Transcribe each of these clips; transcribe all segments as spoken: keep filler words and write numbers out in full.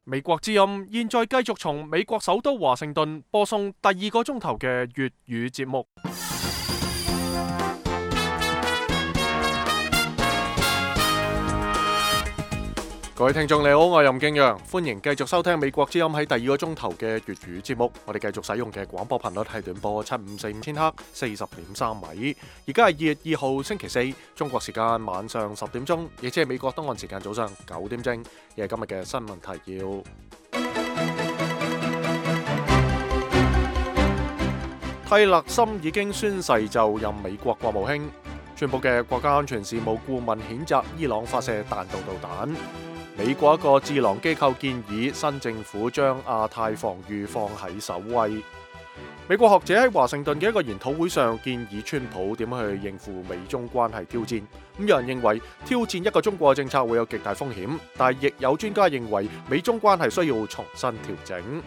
美國之音現在繼續從美國首都華盛頓播送第二個鐘頭嘅粵語節目。各位聽眾你好，我係任敬陽，歡迎繼續收聽美國之音喺第二個鐘頭嘅粵語節目。我哋繼續使用嘅廣播頻率係短波七五四五千赫，四十點三米。而家係二月二號星期四，中國時間晚上十點鐘，亦即係美國東岸時間早上九點正。亦係今日嘅新聞提要。蒂勒森已經宣誓就任美國國務卿。川普嘅國家安全事務顧問譴責伊朗發射彈道導彈。美國一個智囊機構建議新政府將亞太防禦放喺首位。美國學者喺華盛頓嘅一個研討會上建議川普點樣去應付美中關係挑戰。咁有人認為挑戰一個中國嘅政策會有極大風險，但係亦有專家認為美中關係需要重新調整。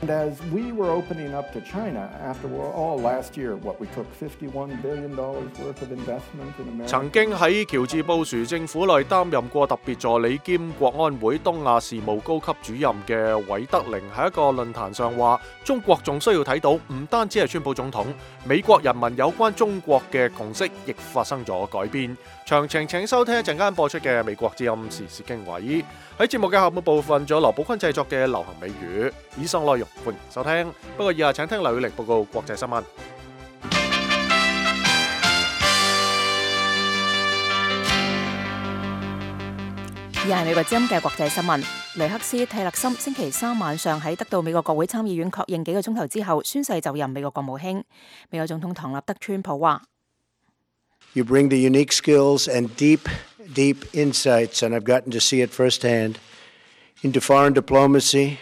And as we were opening up to China after all last year, what we took fifty-one billion dollars worth of investment in America. 曾經喺喬治布殊政府內擔任過特別助理兼國安會東亞事務高級主任嘅韋德寧喺一個論壇上話：中國仲需要睇到唔單止係川普總統，美國人民有關中國嘅共識亦發生咗改變。詳情請收聽一陣間播出嘅美國之音時事經緯。喺節目嘅下半部分，仲有羅寶坤製作嘅流行美語。以上內容歡迎收聽。不過以下請聽劉宇力報告國際新聞。以下係美國之音嘅國際新聞。雷克斯蒂勒森星期三晚上喺得到美國國會參議院確認幾個鐘頭之後，宣誓就任美國國務卿。美國總統唐納德川普話：You bring the unique skills and deep, deep insights, and I've gotten to see it firsthand, into foreign diplomacy.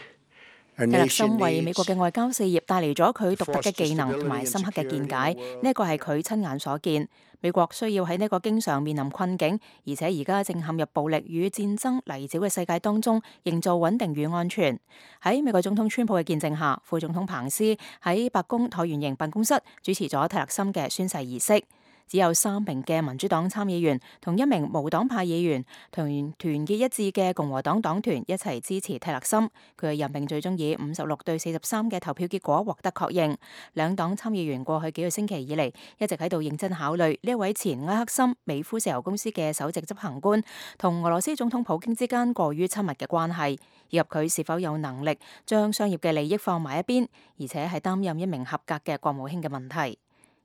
蒂勒森為美國嘅外交事業帶嚟咗佢獨特嘅技能同埋深刻嘅見解，呢一個係佢親眼所見。美國需要喺呢個經常面臨困境，而且而家正陷入暴力與戰爭泥沼嘅世界當中，營造穩定與安全。喺美國總統川普嘅見證下，副總統彭斯喺白宮橢圓形辦公室主持咗蒂勒森嘅宣誓儀式。只有三名嘅民主黨參議員同一名無黨派議員同團結一致嘅共和黨黨團一齊支持蒂勒森，佢嘅任命最終以五十六對四十三嘅投票結果獲得確認。兩黨參議員過去幾個星期以嚟一直喺度認真考慮呢一位前埃克森美孚石油公司嘅首席執行官同俄羅斯總統普京之間過於親密嘅關係，以及佢是否有能力將商業嘅利益放埋一邊，而且係擔任一名合格嘅國務卿嘅問題。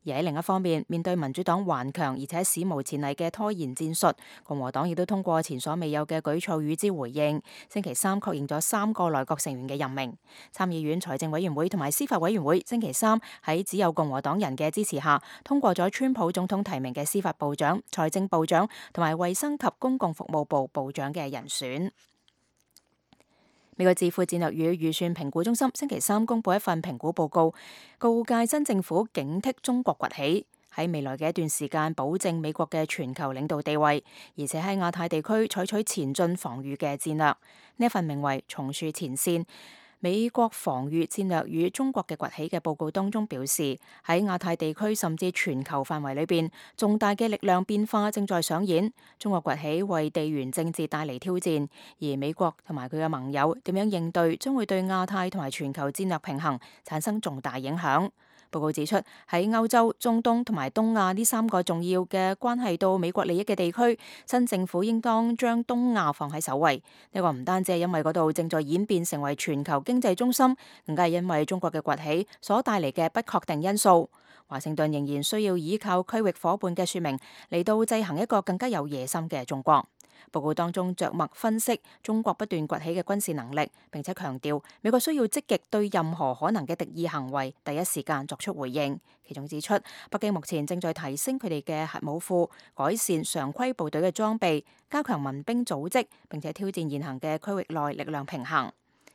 而喺另一方面，面對民主黨頑強而且史無前例嘅拖延戰術，共和黨亦都通過前所未有嘅舉措與之回應。星期三確認咗三個內閣成員嘅任命。參議院財政委員會同埋司法委員會星期三喺只有共和黨人嘅支持下，通過咗川普總統提名嘅司法部長、財政部長同埋衛生及公共服務部部長嘅人選。美國智庫戰略與預算評估中心星期三公布一份評估報告，告誡新政府警惕中國崛起，喺未來嘅一段時間保證美國嘅全球領導地位，而且喺亞太地區採取前進防禦嘅戰略。呢份名為《重樹前線：美國防禦戰略與中國嘅崛起》嘅報告當中表示，喺亞太地區甚至全球範圍裏邊，重大嘅力量變化正在上演。中國崛起為地緣政治帶嚟挑戰，而美國同埋佢嘅盟友點樣應對，將會對亞太同埋全球戰略平衡產生重大影響。報告指出，喺歐洲、中東同埋東亞呢三個重要嘅關係到美國利益嘅地區，新政府應當將東亞放喺首位。呢個唔單止係因為嗰度正在演變成為全球經濟中心，更加係因為中國嘅崛起所帶嚟嘅不確定因素。華盛頓仍然需要依靠區域夥伴嘅說明嚟到制衡一個更加有野心嘅中國。報告當中着墨分析中國不斷崛起嘅軍事能力，並且強調美國需要積極對任何可能嘅敵意行為第一時間作出回應。其中指出，北京目前正在提升佢哋嘅核武庫，改善常規部隊嘅裝備，加強民兵組織，並且挑戰現行嘅區域內力量平衡。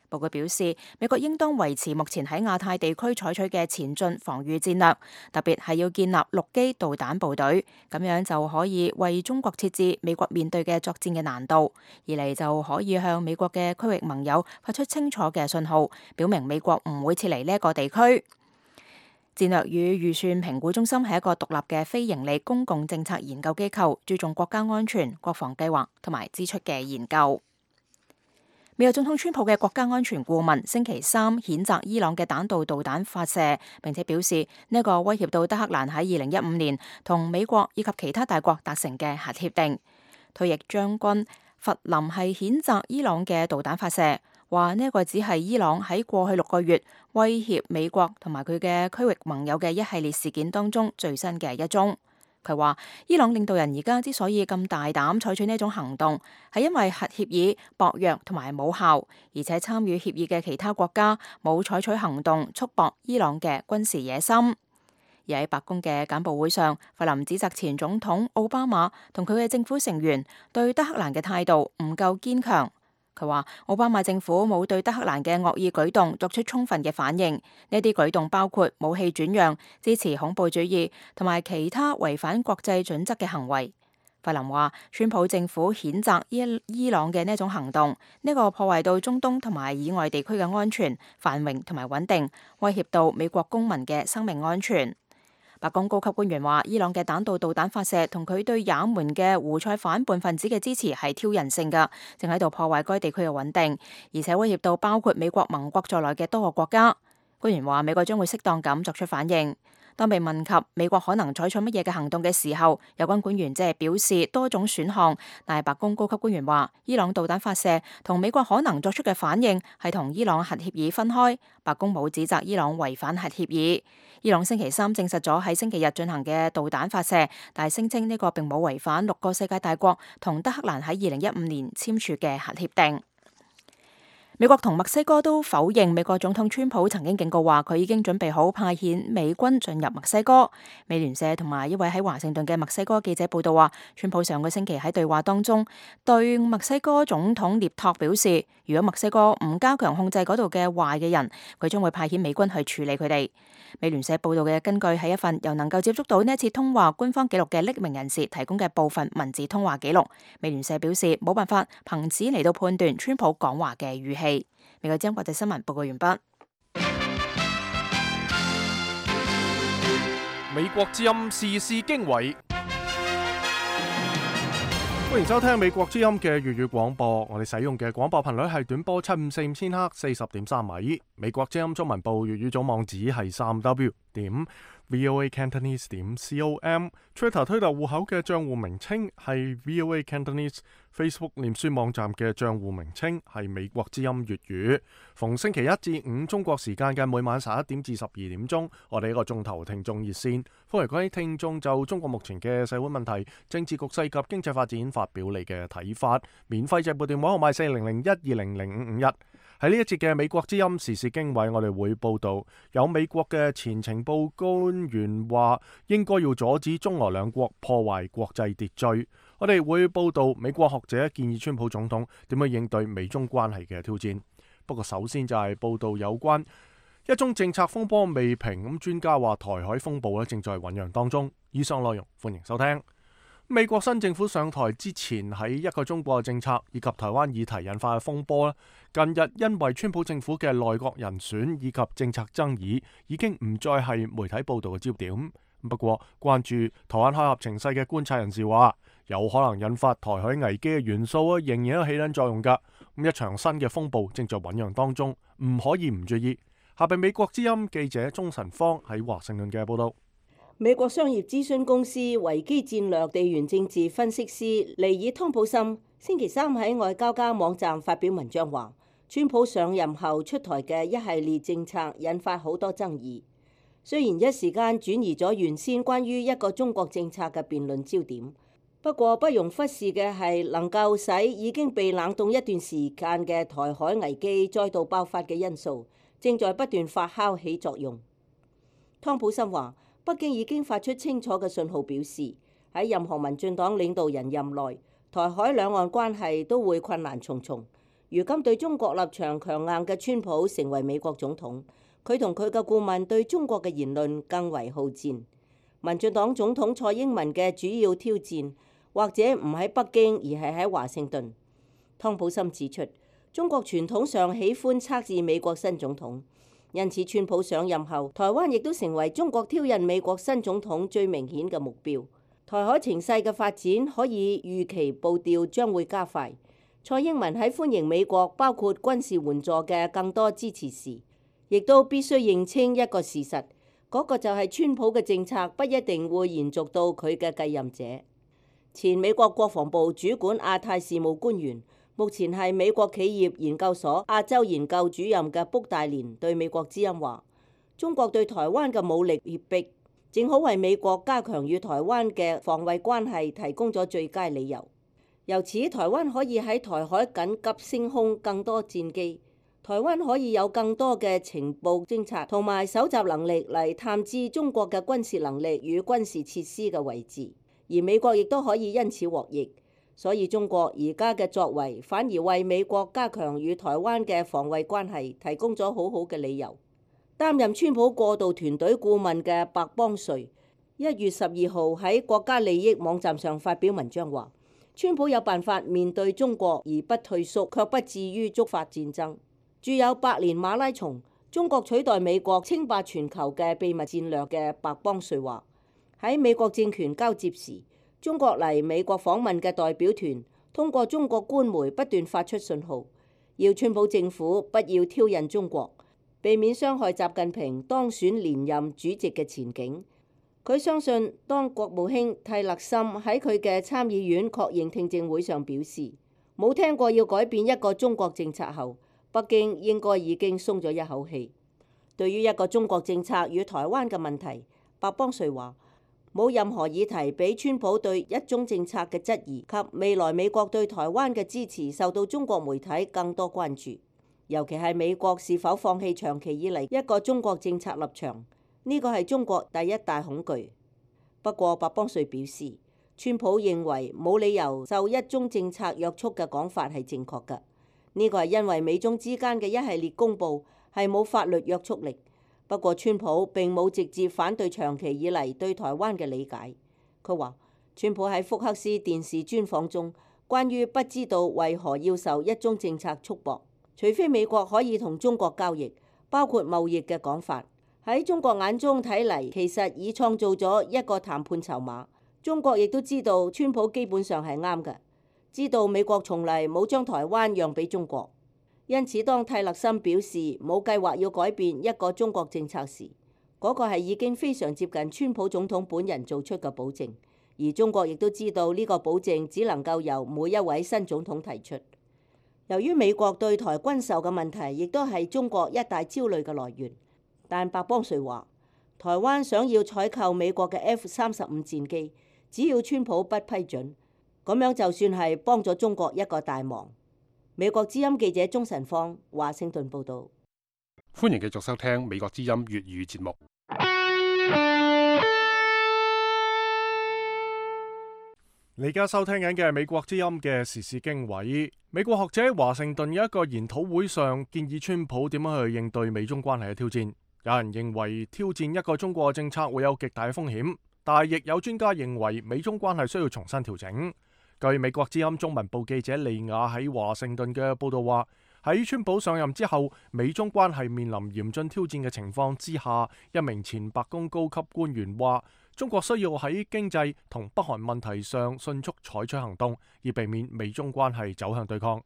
報告表示，美國應當維持目前喺亞太地區採取嘅前進防禦戰略，特別係要建立陸基導彈部隊，咁樣就可以為中國設置美國面對嘅作戰嘅難度，二嚟就可以向美國嘅區域盟友發出清楚嘅信號，表明美國唔會撤離呢一個地區。戰略與預算評估中心係一個獨立嘅非營利公共政策研究機構，注重國家安全、國防計劃同埋支出嘅研究。美國總統川普嘅國家安全顧問星期三譴責伊朗嘅彈道導彈發射，並且表示呢一個威脅到德克蘭喺二零一五年同美國以及其他大國達成嘅核協定。退役將軍弗林係譴責伊朗嘅導彈發射，話呢一個只係伊朗喺過去六個月威脅美國同埋佢嘅區域盟友嘅一系列事件當中最新嘅一宗。佢話伊朗領導人而家之所以咁大膽採取呢種行動，係因為核協議薄弱同埋冇效，而且參與協議嘅其他國家冇採取行動束縛伊朗嘅軍事野心。而喺白宮嘅簡報會上，弗林指責前總統奧巴馬同佢嘅政府成員對德克蘭嘅態度唔夠堅強。佢話奧巴馬政府冇對德克蘭嘅惡意舉動作出充分嘅反應，呢啲舉動包括武器轉讓、支持恐怖主義同埋其他違反國際準則嘅行為。弗林話川普政府譴責伊伊朗嘅呢種行動，呢個破壞到中東同埋以外地區嘅安全、繁榮同埋穩定，威脅到美國公民嘅生命安全。白宮高級官員話，伊朗嘅彈道導彈發射同佢對也門嘅胡塞反叛分子嘅支持係挑釁性㗎，正喺度破壞該地區嘅穩定，而且威脅到包括美國盟國在內嘅多個國家。官員話，美國將會適當咁作出反應。當被問及美國可能採取乜嘢嘅行動嘅時候，有關官員即係表示多種選項，但係白宮高級官員話，伊朗導彈發射同美國可能作出嘅反應係同伊朗核協議分開。白宮冇指責伊朗違反核協議。伊朗星期三證實咗喺星期日進行嘅導彈發射，但係聲稱呢個並冇違反六個世界大國同德克蘭喺二零一五年簽署嘅核協定。美國同墨西哥都否認美國總統川普曾經警告話佢已經準備好派遣美軍進入墨西哥。美聯社同埋一位喺華盛頓嘅墨西哥記者報道話，川普上個星期喺對話當中對墨西哥總統涅托表示，如果墨西哥唔加強控制嗰度嘅壞嘅人，佢將會派遣美軍去處理佢哋。美聯社報道嘅根據係一份由能夠接觸到呢一次通話官方記錄嘅匿名人士提供嘅部分文字通話記錄。美聯社表示冇辦法憑此嚟到判斷川普講話嘅語氣。美國之音國際新聞報告完畢。美國之音時事經緯，歡迎收聽美國之音嘅粵語廣播。我哋使用嘅廣播頻率係短波七五四五千赫，四十點三米。美國之音中文部粵語總網址係三 w 點 voa cantonese 點 com。Twitter 推特戶口嘅賬戶名稱係 voa cantonese。Facebook 臉書網站嘅賬戶名稱係美國之音粵語。逢星期一至五中國時間嘅每晚十一點至十二點鐘，我哋一個鐘頭聽眾熱線，歡迎各位聽眾就中國目前嘅社會問題、政治局勢及經濟發展發表你嘅睇法。免費直播電話號碼四零零一二零零五五一。喺呢一節嘅美國之音時事經緯，我哋會報道有美國嘅前情報官員話應該要阻止中俄兩國破壞國際秩序。我哋會報道美國學者建議川普總統點樣應對美中關係嘅挑戰。不過首先就係報道有關一宗政策風波未平，咁專家話台海風暴咧正在醞釀當中。以上內容歡迎收聽。美國新政府上台之前，喺一個中國嘅政策以及台灣議題引發嘅風波咧，近日因為川普政府嘅內閣人選以及政策爭議，已經唔再係媒體報道嘅焦點。不過，關注台灣海峽情勢嘅觀察人士話，有可能引發台海危機嘅元素啊，仍然有起緊作用㗎。咁一場新嘅風暴正在醞釀當中，唔可以唔注意。下邊美國之音記者鍾晨芳喺華盛頓嘅報道。美國商業諮詢公司維基戰略地緣政治分析師尼爾湯普森星期三喺外交家網站發表文章話，川普上任後出台嘅一系列政策引發好多爭議。雖然一時間轉移咗原先關於一個中國政策嘅辯論焦點，不過不容忽視嘅係能夠使已經被冷凍一段時間嘅台海危機再度爆發嘅因素，正在不斷發酵起作用。湯普森話，北京已經發出清楚嘅信號，表示喺任何民進黨領導人任內，台海兩岸關係都會困難重重。如今對中國立場強硬嘅川普成為美國總統，佢同佢嘅顧問對中國嘅言論更為好戰。民進黨總統蔡英文嘅主要挑戰，或者唔喺北京，而係喺華盛頓。湯普森指出，中國傳統上喜歡測試美國新總統。因此，川普上任後，台灣亦都成為中國挑釁美國新總統最明顯嘅目標。台海情勢嘅發展可以預期步調將會加快。蔡英文喺歡迎美國包括軍事援助嘅更多支持時，亦都必須認清一個事實，嗰個就係川普嘅政策不一定會延續到佢嘅繼任者。前美國國防部主管亞太事務官員，目前係美國企業研究所亞洲研究主任嘅卜大連對美國之音話：中國對台灣嘅武力脅迫，正好為美國加強與台灣嘅防衛關係提供咗最佳理由。由此，台灣可以喺台海緊急升空更多戰機，台灣可以有更多嘅情報偵察同埋搜集能力嚟探知中國嘅軍事能力與軍事設施嘅位置，而美國亦都可以因此獲益。所以中國而家嘅作為反而為美國加強與台灣嘅防衛關係提供咗好好嘅理由。擔任川普過渡團隊顧問嘅白邦瑞一月十二號喺國家利益網站上發表文章話：川普有辦法面對中國而不退縮，卻不至於觸發戰爭。著有《百年馬拉松：中國取代美國稱霸全球嘅秘密戰略》嘅白邦瑞話：喺美國政權交接時，中國嚟美國訪問嘅代表團通過中國官媒不斷發出信號，要川普政府不要挑釁中國，避免傷害習近平當選連任主席嘅前景。佢相信，當國務卿蒂勒森喺佢嘅參議院確認聽證會上表示冇聽過要改變一個中國政策後，北京應該已經鬆咗一口氣。對於一個中國政策與台灣嘅問題，白邦瑞話：冇任何議題比川普對一中政策嘅質疑及未來美國對台灣嘅支持受到中國媒體更多關注，尤其係美國是否放棄長期以嚟一個中國政策立場，呢個係中國第一大恐懼。不過白邦瑞表示，川普認為冇理由受一中政策約束嘅講法係正確嘅，呢個係因為美中之間嘅一系列公佈係冇法律約束力。不過川普並冇直接反對長期以嚟對台灣嘅理解。佢話，川普喺福克斯電視專訪中關於不知道為何要受一中政策束縛，除非美國可以同中國交易，包括貿易嘅講法，喺中國眼中睇嚟，其實已創造咗一個談判籌碼。中國亦都知道川普基本上係啱嘅，知道美國從嚟冇將台灣讓俾中國。因此，當蒂勒森表示冇計劃要改變一個中國政策時，嗰個係已經非常接近川普總統本人做出嘅保證，而中國亦都知道呢個保證只能夠由每一位新總統提出。由於美國對台軍售嘅問題，亦都係中國一大焦慮嘅來源。但白邦瑞話，台灣想要採購美國嘅 F 三十五戰機，只要川普不批准，咁樣就算係幫咗中國一個大忙。美國之音記者鍾晨芳華盛頓報道。歡迎繼續收聽美國之音粵語節目。你而家收聽緊嘅係美國之音嘅時事經緯。美國學者喺華盛頓有一個研討會上建議川普點樣去應對美中關係嘅挑戰。有人認為挑戰一個中國政策會有極大嘅風險，但係亦有專家認為美中關係需要重新調整。據美國之音中文部記者利亞喺華盛頓嘅報道話，喺川普上任之後，美中關係面臨嚴峻挑戰嘅情況之下，一名前白宮高級官員話，中國需要喺經濟同北韓問題上迅速採取行動，以避免美中關係走向對抗。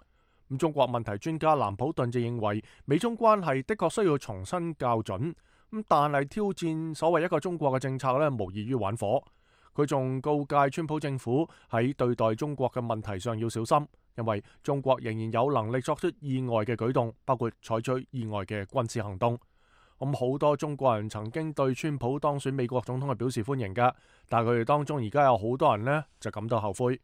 咁中國問題專家蘭普頓就認為，美中關係的確需要重新校準，咁但係挑戰所謂一個中國嘅政策咧，無異於玩火。佢仲告誡川普政府喺對待中國嘅問題上要小心，因為中國仍然有能力作出意外嘅舉動，包括採取意外嘅軍事行動。咁好多中國人曾經對川普當選美國總統係表示歡迎㗎，但係佢哋當中而家有好多人呢就感到後悔。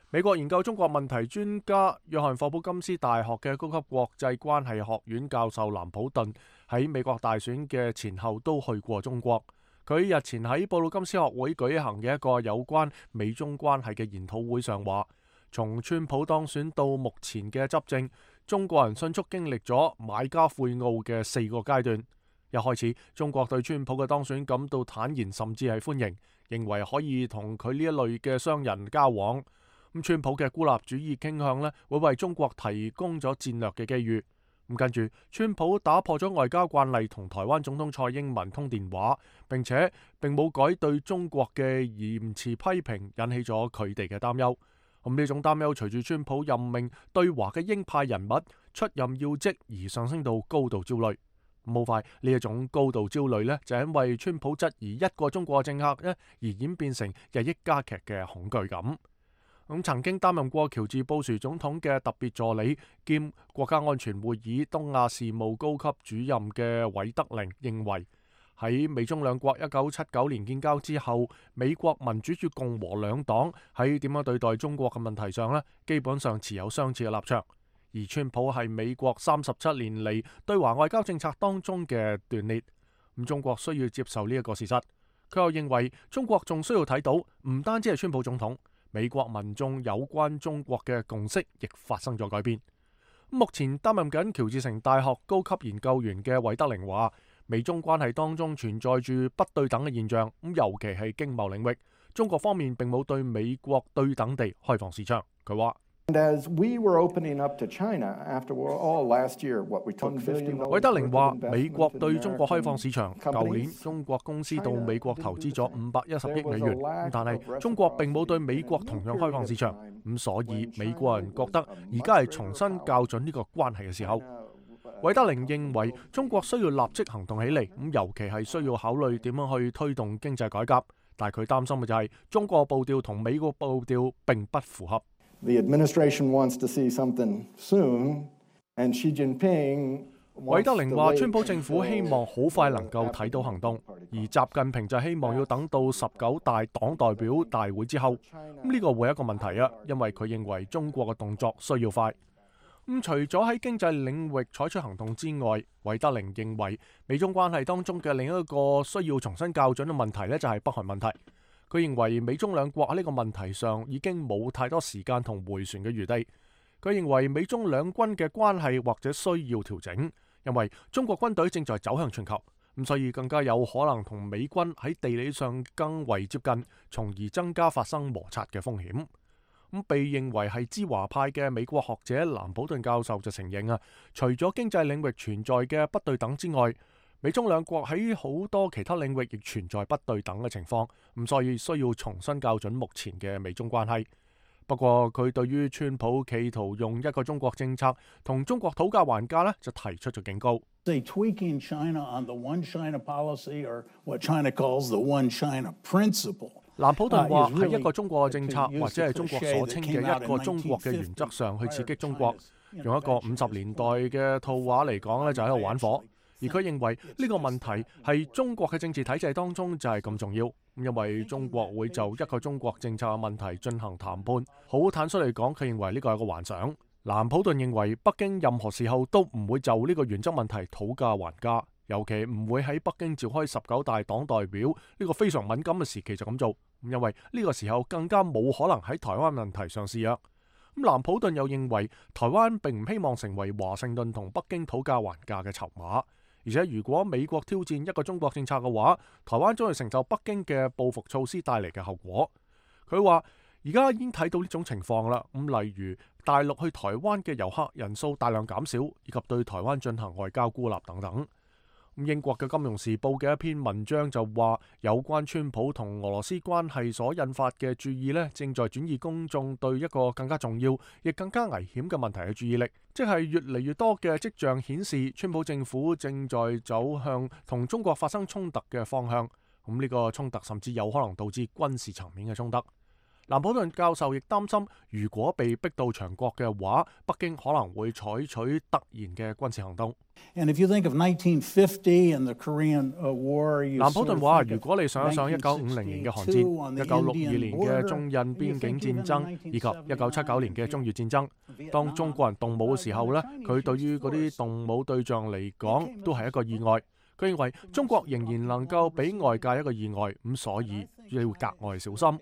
美國研究中國問題專家約翰霍普金斯大學嘅高級國際關係學院教授蘭普頓喺美國大選嘅前後都去過中國。佢日前喺布魯金斯學會舉行嘅一個有關美中關係嘅研討會上話，從川普當選到目前嘅執政，中國人迅速經歷咗買家悔懊嘅四個階段。一開始，中國對川普嘅當選感到坦然，甚至係歡迎，認為可以同佢呢一類嘅商人交往。咁川普嘅孤立主義傾向呢，會為中國提供咗戰略嘅機遇。咁跟住，川普打破咗外交慣例，同台灣總統蔡英文通電話，並且並冇改對中國嘅嚴詞批評，引起咗佢哋嘅擔憂。咁呢種擔憂隨住川普任命對華嘅鷹派人物出任要職而上升到高度焦慮。咁好快呢一種高度焦慮呢，就因為川普質疑一個中國政客呢而演變成日益加劇嘅恐懼感。咁曾經擔任過喬治布殊總統嘅特別助理兼國家安全會議東亞事務高級主任嘅韋德寧認為，喺美中兩國一九七九年建交之後，美國民主與共和兩黨喺點樣對待中國嘅問題上呢，基本上持有相似嘅立場。而川普係美國三十七年嚟對華外交政策當中嘅斷裂，咁中國需要接受呢一個事實。佢又認為中國仲需要睇到，唔單止係川普總統，美國民眾有關中國嘅共識亦發生咗改變。目前擔任緊喬治城大學高級研究員嘅韋德寧話，美中關係當中存在住不對等嘅現象，咁尤其係經貿領域，中國方面並冇對美國對等地開放市場。佢話。韋德寧話：美國對中國開放市場，舊年中國公司到美國投資咗五百一十億美元，但係中國並冇對美國同樣開放市場，咁所以美國人覺得而家係重新校準呢個關係嘅時候。韋德寧認為中國需要立即行動起嚟，咁尤其係需要考慮點樣去推動經濟改革，但係佢擔心嘅就係中國步調同美國步調並不符合。The administration wants to see something soon, and Xi Jinping 韋德寧話：川普政府希望好快能夠睇到行動，而習近平就希望要等到十九大黨代表大會之後。咁呢個會係一個問題啊，因為佢認為中國嘅動作需要快。咁除咗喺經濟領域採取行動之外，韋德寧認為美中關係當中嘅另一個需要重新校準嘅問題呢，就係北韓問題。佢認為美中兩國喺呢個問題上已經冇太多時間同迴旋嘅餘地。佢認為美中兩軍嘅關係或者需要調整，因為中國軍隊正在走向全球，咁所以更加有可能同美軍喺地理上更為接近，從而增加發生摩擦嘅風險。咁被認為係知華派嘅美國學者蘭普頓教授就承認啊，除咗經濟領域存在嘅不對等之外，美中兩國喺好多其他領域亦存在不對等嘅情況，咁所以需要重新校準目前嘅美中關係。不過佢對於川普企圖用一個中國政策同中國討價還價呢，就提出咗警告。蘭普頓話喺一個中國嘅政策或者係中國所稱嘅一個中國嘅原則上去刺激中國，用一個五十年代嘅套話嚟講呢，就喺度玩火。而佢認為呢個問題係中國嘅政治體制當中就係咁重要，因為中國會就一個中國政策嘅問題進行談判。好坦率嚟講，佢認為呢個係個幻想。蘭普頓認為北京任何時候都唔會就呢個原則問題討價還價，尤其唔會喺北京召開十九大黨代表呢個非常敏感嘅時期就咁做，因為呢個時候更加冇可能喺台灣問題上示弱。咁蘭普頓又認為台灣並唔希望成為華盛頓同北京討價還價嘅籌碼。而且如果美國挑戰一個中國政策嘅話，台灣將會承受北京嘅報復措施帶嚟嘅後果。佢話而家已經睇到呢種情況啦，咁例如大陸去台灣嘅遊客人數大量減少，以及對台灣進行外交孤立等等。英國嘅《金融時報》嘅一篇文章就話，有關川普同俄羅斯關係所引發嘅注意呢，正在轉移公眾對一個更加重要亦更加危險嘅問題嘅注意力，即係越嚟越多嘅跡象顯示，川普政府正在走向同中國發生衝突嘅方向。咁呢個衝突甚至有可能導致軍事層面嘅衝突。蘭普頓教授亦擔心，如果被逼到牆角嘅話，北京可能會採取突然嘅軍事行動。蘭普頓話：如果你想一想一九五零年嘅韓戰、一九六二年嘅中印邊境戰爭以及一九七九年嘅中越戰爭，當中國人動武嘅時候呢，佢對於嗰啲動武對象嚟講都係一個意外。佢認為中國仍然能夠俾外界一個意外，咁所以要格外小心。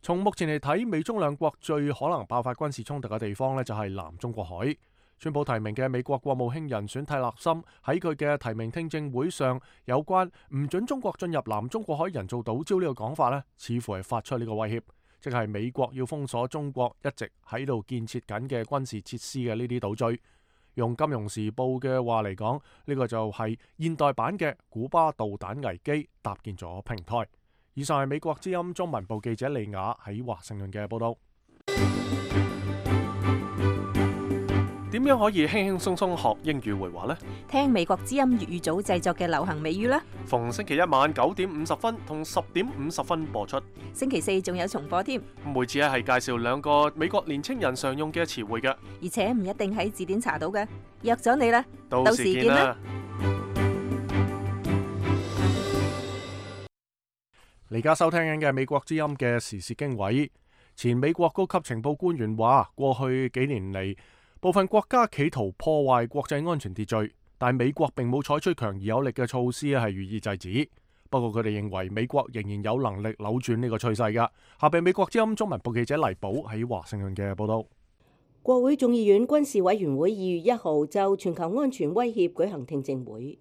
從目前嚟睇，美中兩國最可能爆發軍事衝突嘅地方呢，就係南中國海。川普提名嘅美國國務卿人選蒂勒森喺佢嘅提名聽證會上，有關唔准中國進入南中國海人造島礁呢個講法呢，似乎係發出呢個威脅，即係美國要封鎖中國一直喺度建設緊嘅軍事設施嘅呢啲島嶼。用金融時報嘅話嚟講，呢個就係現代版嘅古巴導彈危機搭建咗平台。以上係美國之音中文部記者利雅喺華盛頓嘅報道。點樣可以輕輕鬆鬆學英語會話呢？聽美國之音粵語組製作嘅流行美語啦。逢星期一晚九點五十分同十點五十分播出。星期四仲有重播添。每次咧係介紹兩個美國年青人常用嘅詞彙嘅，而且唔一定喺字典查到嘅。約咗你啦，到時見啦。你而家收聽緊嘅美國之音嘅時事經緯，前美國高級情報官員話，過去幾年嚟，部分國家企圖破壞國際安全秩序，但美國並冇採取強而有力嘅措施係予以制止。不過佢哋認為美國仍然有能力扭轉呢個趨勢㗎。下邊美國之音中文部記者黎寶喺華盛頓嘅報道。國會眾議院軍事委員會二月一號就全球安全威脅舉行聽證會，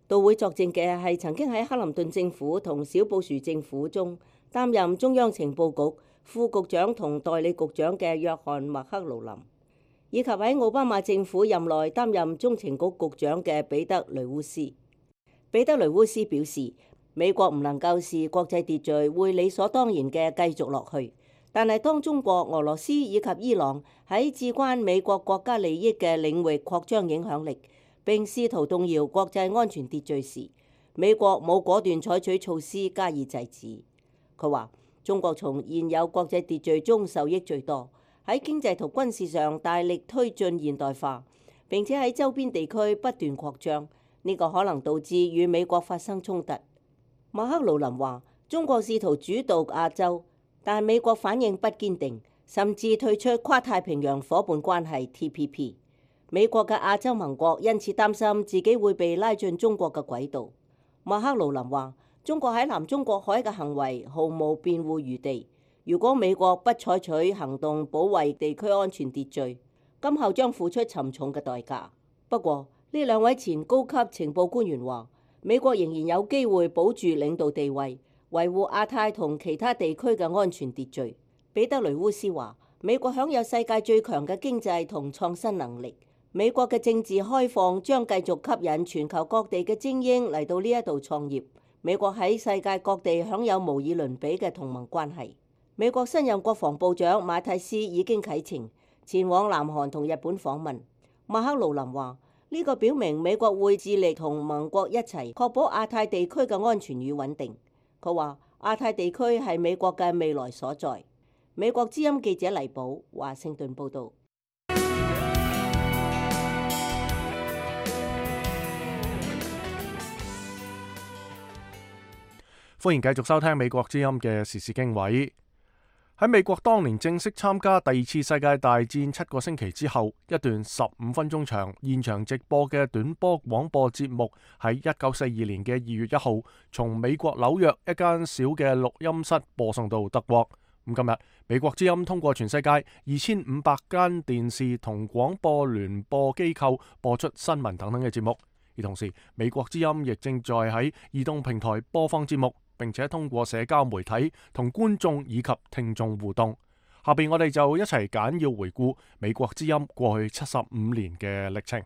到會作證嘅係曾經喺克林頓政府同小布殊政府中擔任中央情報局副局長同代理局長嘅約翰麥克勞林，以及喺奧巴馬政府任內擔任中情局局長嘅彼得雷烏斯。彼得雷烏斯表示，美國唔能夠視國際秩序會理所當然嘅繼續落去，但係當中國、俄羅斯以及伊朗喺至關美國國家利益嘅領域擴張影響力，並試圖動搖國際安全秩序時，美國冇果斷採取措施加以制止。佢話：中國從現有國際秩序中受益最多。喺經濟同軍事上大力推進現代化，並且喺周邊地區不斷擴張，呢個可能導致與美國發生衝突。馬克勞林話：中國試圖主導亞洲，但美國反應不堅定，甚至退出跨太平洋夥伴關係 T P P。美國嘅亞洲盟國因此擔心自己會被拉進中國嘅軌道。馬克勞林話：中國喺南中國海嘅行為毫無辯護餘地。如果美國不採取行動保衛地區安全秩序，今後將付出沉重嘅代價。不過，呢兩位前高級情報官員話，美國仍然有機會保住領導地位，維護亞太同其他地區嘅安全秩序。彼得雷烏斯話，美國享有世界最強嘅經濟同創新能力，美國嘅政治開放將繼續吸引全球各地嘅精英嚟到呢一度創業。美國喺世界各地享有無以倫比嘅同盟關係。美國新任國防部長馬蒂斯已經啟程前往南韓同日本訪問。馬克勞林話：呢個表明美國會致力同盟國一齊確保亞太地區嘅安全與穩定。佢話亞太地區係美國嘅未來所在。美國之音記者黎寶華盛頓報導。歡迎繼續收聽美國之音嘅時事經緯。喺美國當年正式參加第二次世界大戰七個星期之後，一段十五分鐘長現場直播嘅短波廣播節目喺一九四二年嘅二月一號，從美國紐約一間小嘅錄音室播送到德國。咁今日美國之音通過全世界二千五百間電視同廣播聯播機構播出新聞等等嘅節目，而同時美國之音亦正在喺移動平台播放節目，並且通過社交媒體同觀眾以及聽眾互動。下邊我哋就一齊簡要回顧美國之音過去七十五年嘅歷程。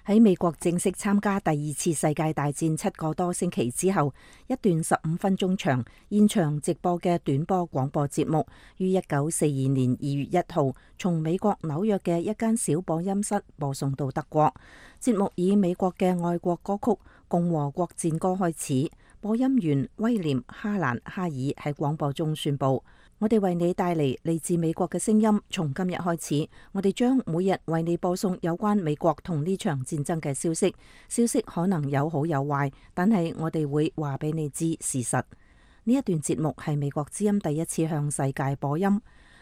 喺美國正式參加第二次世界大戰七個多星期之後，一段十五分鐘長現場直播嘅短波廣播節目，於一九四二年二月一號從美國紐約嘅一間小播音室播送到德國。節目以美國嘅愛國歌曲《共和國戰歌》開始。播音員威廉哈蘭哈爾喺廣播中宣布：我哋為你帶嚟嚟自美國嘅聲音。從今日開始，我哋將每日為你播送有關美國同呢場戰爭嘅消息。消息可能有好有壞，但係我哋會話俾你知事實。呢一段節目係美國之音第一次向世界播音。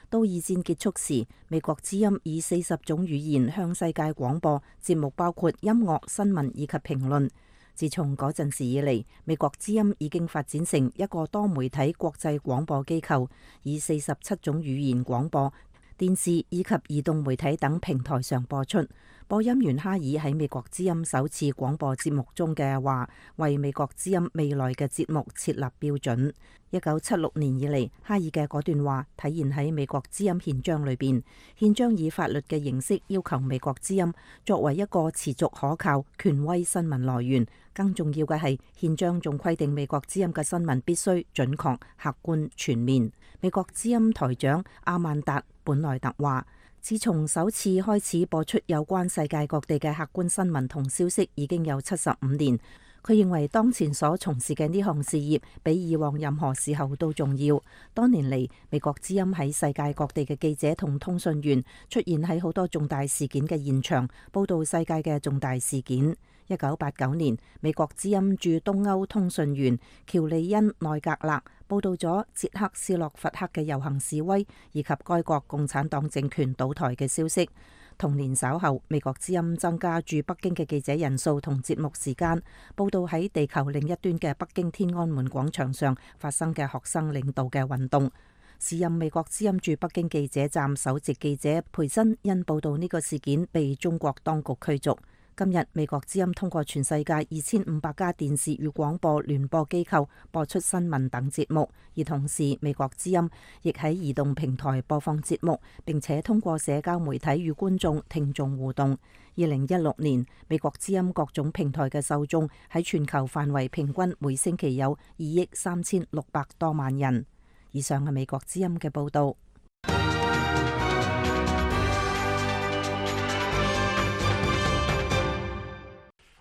到二戰結束時，美國之音以四十種語言向世界廣播，節目包括音樂、新聞以及評論。自從嗰陣時以嚟，美國之音已經發展成一個多媒體國際廣播機構，以四十七種語言廣播、電視以及移動媒體等平台上播出。播音員哈爾喺美國之音首次廣播節目中嘅話，為美國之音未來嘅節目設立標準。一九七六年以嚟，哈爾嘅嗰段話體現喺美國之音憲章裏邊。憲章以法律嘅形式要求美國之音作為一個持續可靠、權威新聞來源。更重要嘅係，憲章仲規定美國之音嘅新聞必須準確、客觀、全面。美國之音台長阿曼達本萊特話，自從首次開始播出有關世界各地嘅客觀新聞同消息，已經有七十五年。佢認為當前所從事嘅呢項事業比以往任何時候都重要。多年嚟，美國之音喺世界各地嘅記者同通訊員出現喺好多重大事件嘅現場，報導世界嘅重大事件。一九八九年，美國之音駐東歐通訊員喬利恩內格勒報導咗捷克斯洛伐克嘅遊行示威，以及該國共產黨政權倒台嘅消息。同年稍後，美國之音增加駐北京嘅記者人數同節目時間，報導喺地球另一端嘅北京天安門廣場上發生嘅學生領導嘅運動。時任美國之音駐北京記者站首席記者培森因報導呢個事件被中國當局驅逐。今日美國之音通過全世界二千五百家電視與廣播聯播機構播出新聞等節目，而同時美國之音亦喺移動平台播放節目，並且通過社交媒體與觀眾聽眾互動。二零一六年，美國之音各種平台嘅受眾喺全球範圍平均每星期有二億三千六百多萬人。以上係美國之音嘅報導。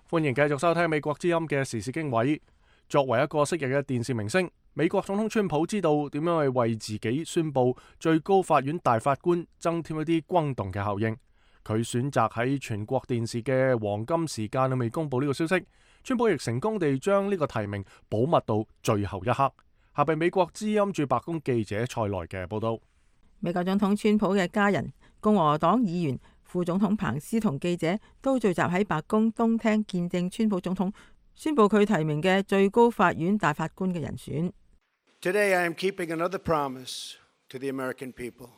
歡迎繼續收聽美國之音嘅時事經緯。作為一個昔日嘅電視明星，美國總統川普知道點樣去為自己宣佈最高法院大法官增添一啲轟動嘅效應。佢選擇喺全國電視嘅黃金時間裏面公佈呢個消息。川普亦成功地將呢個提名保密到最後一刻。下邊美國之音駐白宮記者蔡萊嘅報道。美國總統川普嘅家人、共和黨議員、副總統彭斯同記者都聚集喺白宮東廳見證川普總統宣布佢提名嘅最高法院大法官嘅人選。Today I am keeping another promise to the American people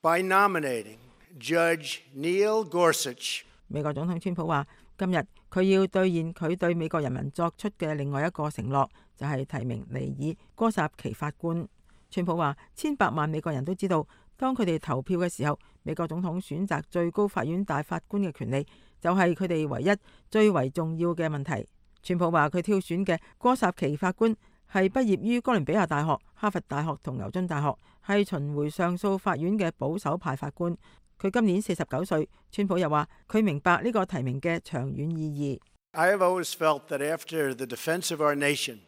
by nominating Judge Neil Gorsuch。美國總統川普話，今日佢要兌現佢對美國人民作出嘅另外一個承諾，就係提名尼爾哥薩奇法官。川普話，千百萬美國人都知道，當佢哋投票嘅時候，美國總統選擇最高法院大法官嘅權利就係佢哋唯一最為重要嘅問題。川普話佢挑選嘅哥薩奇法官係畢業於哥倫比亞大學、哈佛大學同牛津大學，係巡迴上訴法院嘅保守派法官。佢今年四十九歲。川普又話佢明白呢個提名嘅長遠意義。I have always felt that after the defense of our nation,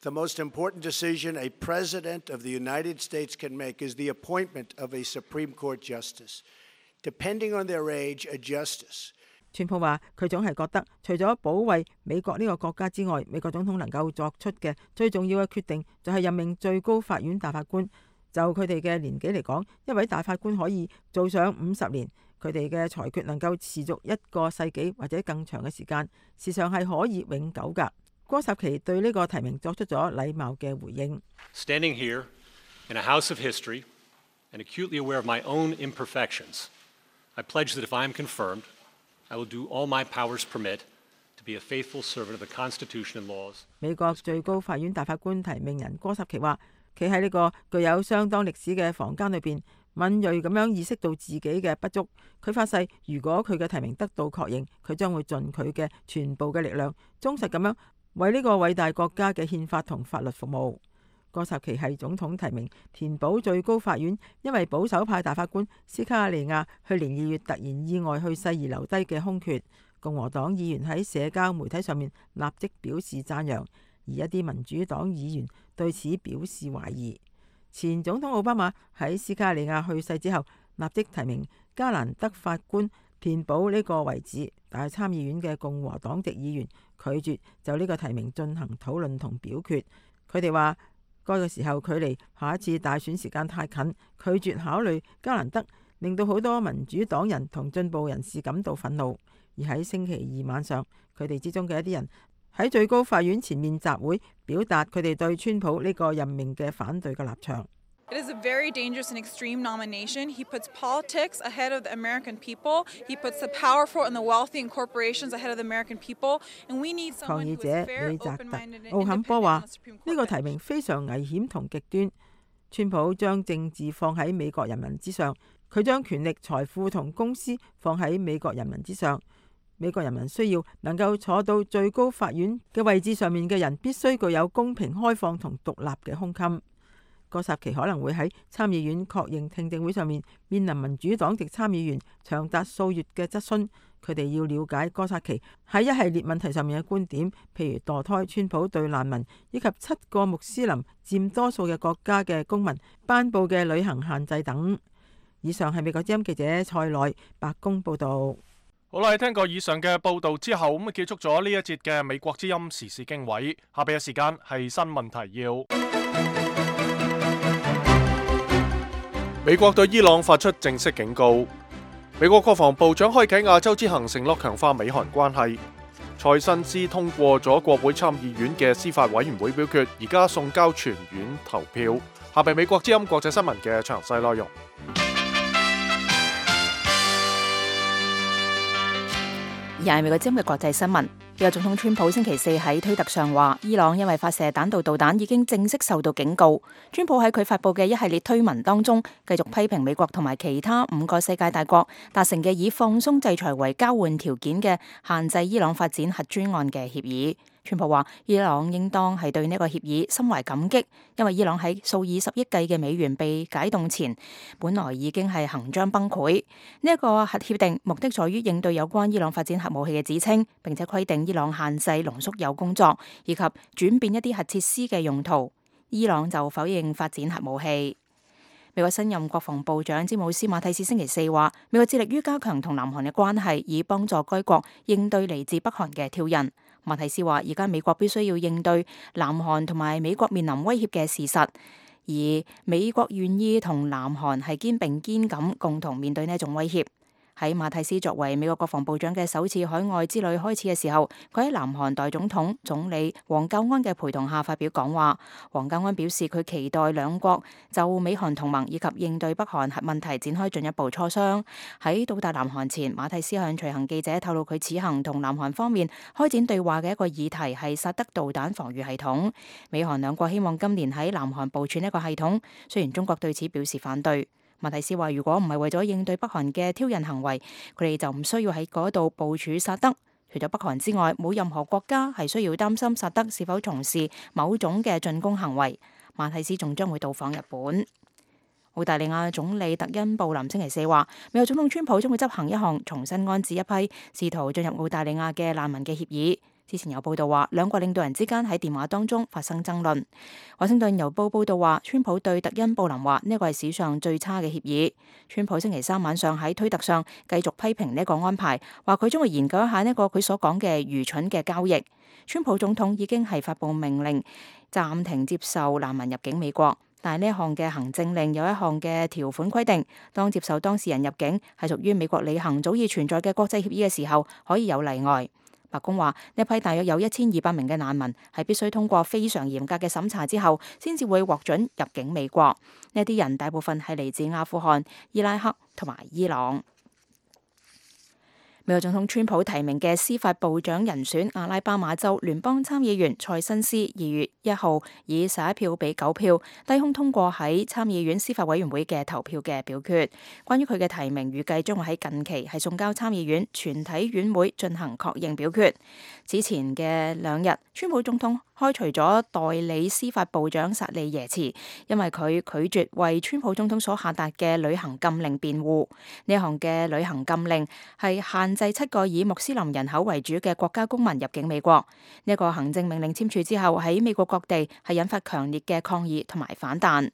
the most important decision a president of the United States can make is the appointment of a Supreme Court justice. Depending on their age, a justice. 川普話佢總係覺得，除咗保衛美國呢個國家之外，美國總統能夠作出嘅最重要嘅決定就係任命最高法院大法官。就佢哋嘅年紀嚟講，一位大法官可以做上五十年，佢哋嘅裁決能夠持續一個世紀或者更長嘅時間，時常係可以永久㗎。哥薩奇對呢個提名作出咗禮貌嘅回應。Standing here in a house of history and acutely aware of my own imperfections, I pledge that if I am confirmed, I will do all my powers permit to be a faithful servant of the Constitution and laws. 美國最高法院大法官提名人哥薩奇話，企喺呢個具有相當歷史嘅房間裏邊，敏銳咁樣意識到自己嘅不足。佢發誓，如果佢嘅提名得到確認，佢將會盡佢嘅全部嘅力量，忠實咁樣為呢個偉大國家嘅憲法同法律服務。哥薩奇係總統提名填補最高法院因為保守派大法官斯卡利亞去年二月突然意外去世而留低嘅空缺。共和黨議員喺社交媒體上面立即表示讚揚，而一啲民主黨議員對此表示懷疑。前總統奧巴馬喺斯卡利亞去世之後，立即提名加蘭德法官填補呢個位置，但係參議院嘅共和黨籍議員拒絕就呢個提名進行討論同表決。佢哋話該個時候距離下一次大選時間太近，拒絕考慮加蘭德，令到好多民主黨人同進步人士感到憤怒。而喺星期二晚上，佢哋之中嘅一啲人喺最高法院前面集會，表達佢哋對川普呢個任命嘅反對嘅立場。It is a very dangerous and extreme nomination. He puts politics ahead of the American people. He puts the powerful and the wealthy and corporations ahead of the American people. And we need 抗 someone 議 who 者 is fair, 李澤特 open-minded, and 奧坎波 independent 話 on the Supreme：呢 Court 個提 bench. 名非常危險同極端。川普將政治放喺美國人民之上，佢將權力、財富同公司放喺美國人民之上。美國人民需要能夠坐到最高法院嘅位置上面嘅人，必須具有公平、開放同獨立嘅胸襟。戈薩奇可能會喺參議院確認聽證會上面面臨民主黨籍參議員長達數月嘅質詢，佢哋要了解戈薩奇喺一系列問題上面嘅觀點，譬如墮胎、川普對難民以及七個穆斯林佔多數嘅國家嘅公民頒布嘅旅行限制等。以上係美國之音記者蔡內白宮報導。好啦，聽過以上嘅報導之後，咁結束咗呢一節嘅美國之音時事經緯。下邊嘅時間係新聞提要。美國對伊朗發出正式警告。美國國防部長開啟亞洲之行，承諾強化美韓關係。蔡新斯通過咗國會參議院嘅司法委員會表決，而家送交全院投票。下邊美國之音國際新聞嘅詳細內容。而係美國之音嘅國際新聞。美國總統川普星期四喺推特上話，伊朗因為發射彈道導彈已經正式受到警告。川普喺佢發佈嘅一系列推文當中，繼續批評美國同埋其他五個世界大國達成嘅以放鬆制裁為交換條件嘅限制伊朗發展核專案嘅協議。川普話，伊朗應當係對呢個協議心懷感激，因為伊朗喺數以十億計嘅美元被解凍前，本來已經係行將崩潰。呢一個核協定目的在於應對有關伊朗發展核武器嘅指稱，並且規定伊朗限制濃縮鈾工作，以及轉變一啲核設施嘅用途。伊朗就否認發展核武器。美國新任國防部長詹姆斯馬蒂斯星期四話，美國致力於加強同南韓嘅關係，以幫助該國應對嚟自北韓嘅挑釁。馬蒂斯話，而家美國必須要應對南韓同埋美國面臨威脅嘅事實，而美國願意同南韓係肩並肩咁共同面對呢一種威脅。喺馬蒂斯作為美國國防部長嘅首次海外之旅開始嘅時候，佢喺南韓代總統總理黃教安嘅陪同下發表講話。黃教安表示佢期待兩國就美韓同盟以及應對北韓核問題展開進一步磋商。喺到達南韓前，馬蒂斯向隨行記者透露佢此行同南韓方面開展對話嘅一個議題係薩德導彈防禦系統。美韓兩國希望今年喺南韓部署呢一個系統，雖然中國對此表示反對。馬蒂斯話：如果唔係為咗應對北韓嘅挑釁行為，佢哋就唔需要喺嗰度部署薩德。除咗北韓之外，冇任何國家係需要擔心薩德是否從事某種嘅進攻行為。馬蒂斯仲將會到訪日本。澳大利亞總理特恩布林星期四話，美國總統川普將會執行一項重新安置一批試圖進入澳大利亞嘅難民嘅協議。之前有報道話，兩國領導人之間喺電話當中發生爭論。華盛頓郵報報道話，川普對特恩布林話呢個係史上最差嘅協議。川普星期三晚上喺推特上繼續批評呢個安排，話佢將會研究一下呢個佢所講嘅愚蠢嘅交易。川普總統已經係發布命令暫停接受難民入境美國，但係呢一項嘅行政令有一項嘅條款規定，當接受當事人入境係屬於美國履行早已存在嘅國際協議嘅時候，可以有例外。白宮話呢批大約有一千二百名嘅難民係必須通過非常嚴格嘅審查之後，先至會獲准入境美國。呢啲人大部分係嚟自阿富汗、伊拉克同埋伊朗。美國總統川普提名嘅司法部長人選阿拉巴馬州聯邦參議員蔡新斯二月一號以十一票比九票低空通過喺參議院司法委員會嘅投票嘅表決。關於佢嘅提名，預計將會喺近期係送交參議院全體院會進行確認表決。之前嘅兩日，川普總統開除咗代理司法部長薩利耶茨，因為佢拒絕為川普總統所下達嘅旅行禁令辯護。呢項嘅旅行禁令係限制七個以穆斯林人口為主嘅國家公民入境美國。呢一個行政命令簽署之後，喺美國各地係引發強烈嘅抗議同埋反彈。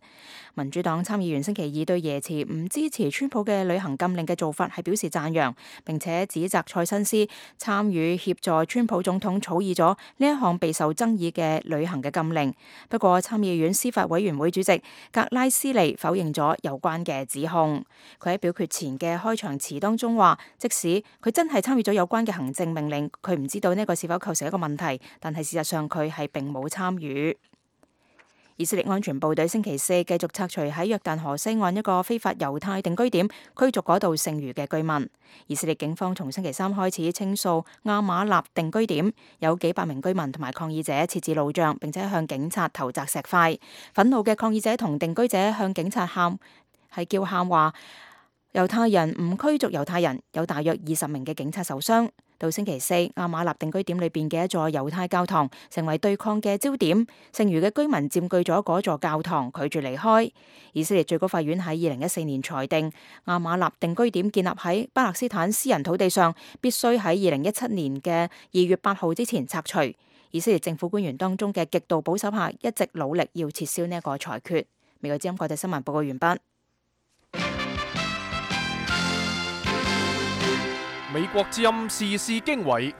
民主黨參議員星期二對耶茨唔支持川普嘅旅行禁令嘅做法係表示讚揚，並且指責蔡新斯參與協助川普總統草擬咗呢一項備受爭議嘅旅行嘅禁令。不過參議院司法委員會主席格拉斯利否認咗有關嘅指控。佢喺表決前嘅開場詞當中話，即使佢真係參與咗有關嘅行政命令，佢唔知道呢個是否構成一個問題，但係事實上佢係並冇參與。以色列安全部隊星期四繼續拆除喺約旦河西岸一個非法猶太定居點，驅逐嗰度剩餘嘅居民。以色列警方從星期三開始清掃亞馬納定居點，有幾百名居民同埋抗議者設置路障，並且向警察投擲石塊。憤怒嘅抗議者同定居者向警察喊，係叫喊話猶太人唔驅逐猶太人，有大約二十名嘅警察受傷。到星期四，亞馬納定居點裏邊嘅一座猶太教堂成為對抗嘅焦點，剩餘嘅居民佔據咗嗰座教堂，拒絕離開。以色列最高法院喺二零一四年裁定，亞馬納定居點建立喺巴勒斯坦私人土地上，必須喺二零一七年嘅二月八號之前拆除。以色列政府官員當中嘅極度保守派一直努力要撤銷呢一個裁決。美國之音國際新聞報告完畢。美國之音時事經緯，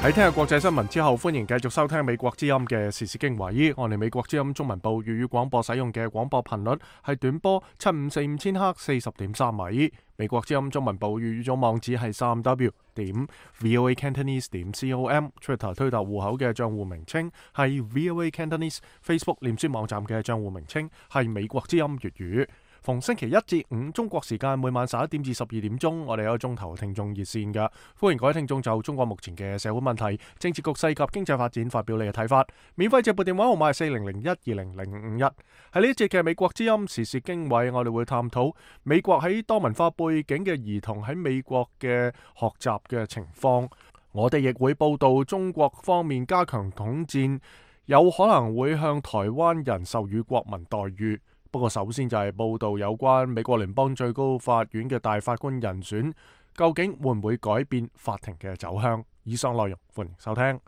喺聽日國際新聞之後，歡迎繼續收聽美國之音嘅時事經緯。我哋美國之音中文部粵語廣播使用嘅廣播頻率係短波七五四五千赫四十點三米。美國之音中文部粵語總網址係三 w 點 voa cantonese 點 com。Twitter 推特戶口嘅賬戶名稱係 voa cantonese。Facebook 臉書網站嘅賬戶名稱係美國之音粵語。逢星期一至五中國時間每晚十一點至十二點鐘，我哋有一個鐘頭聽眾熱線㗎，歡迎各位聽眾就中國目前嘅社會問題、政治局勢及經濟發展發表你嘅睇法。免費直撥電話號碼係四零零一二零零五一。喺呢一節嘅美國之音時事經緯，我哋會探討美國喺多文化背景嘅兒童喺美國嘅學習嘅情況。我哋亦會報道中國方面加強統戰，有可能會向台灣人授予國民待遇。不過首先就係報道有關美國聯邦最高法院嘅大法官人選，究竟會唔會改變法庭嘅走向？以上內容歡迎收聽。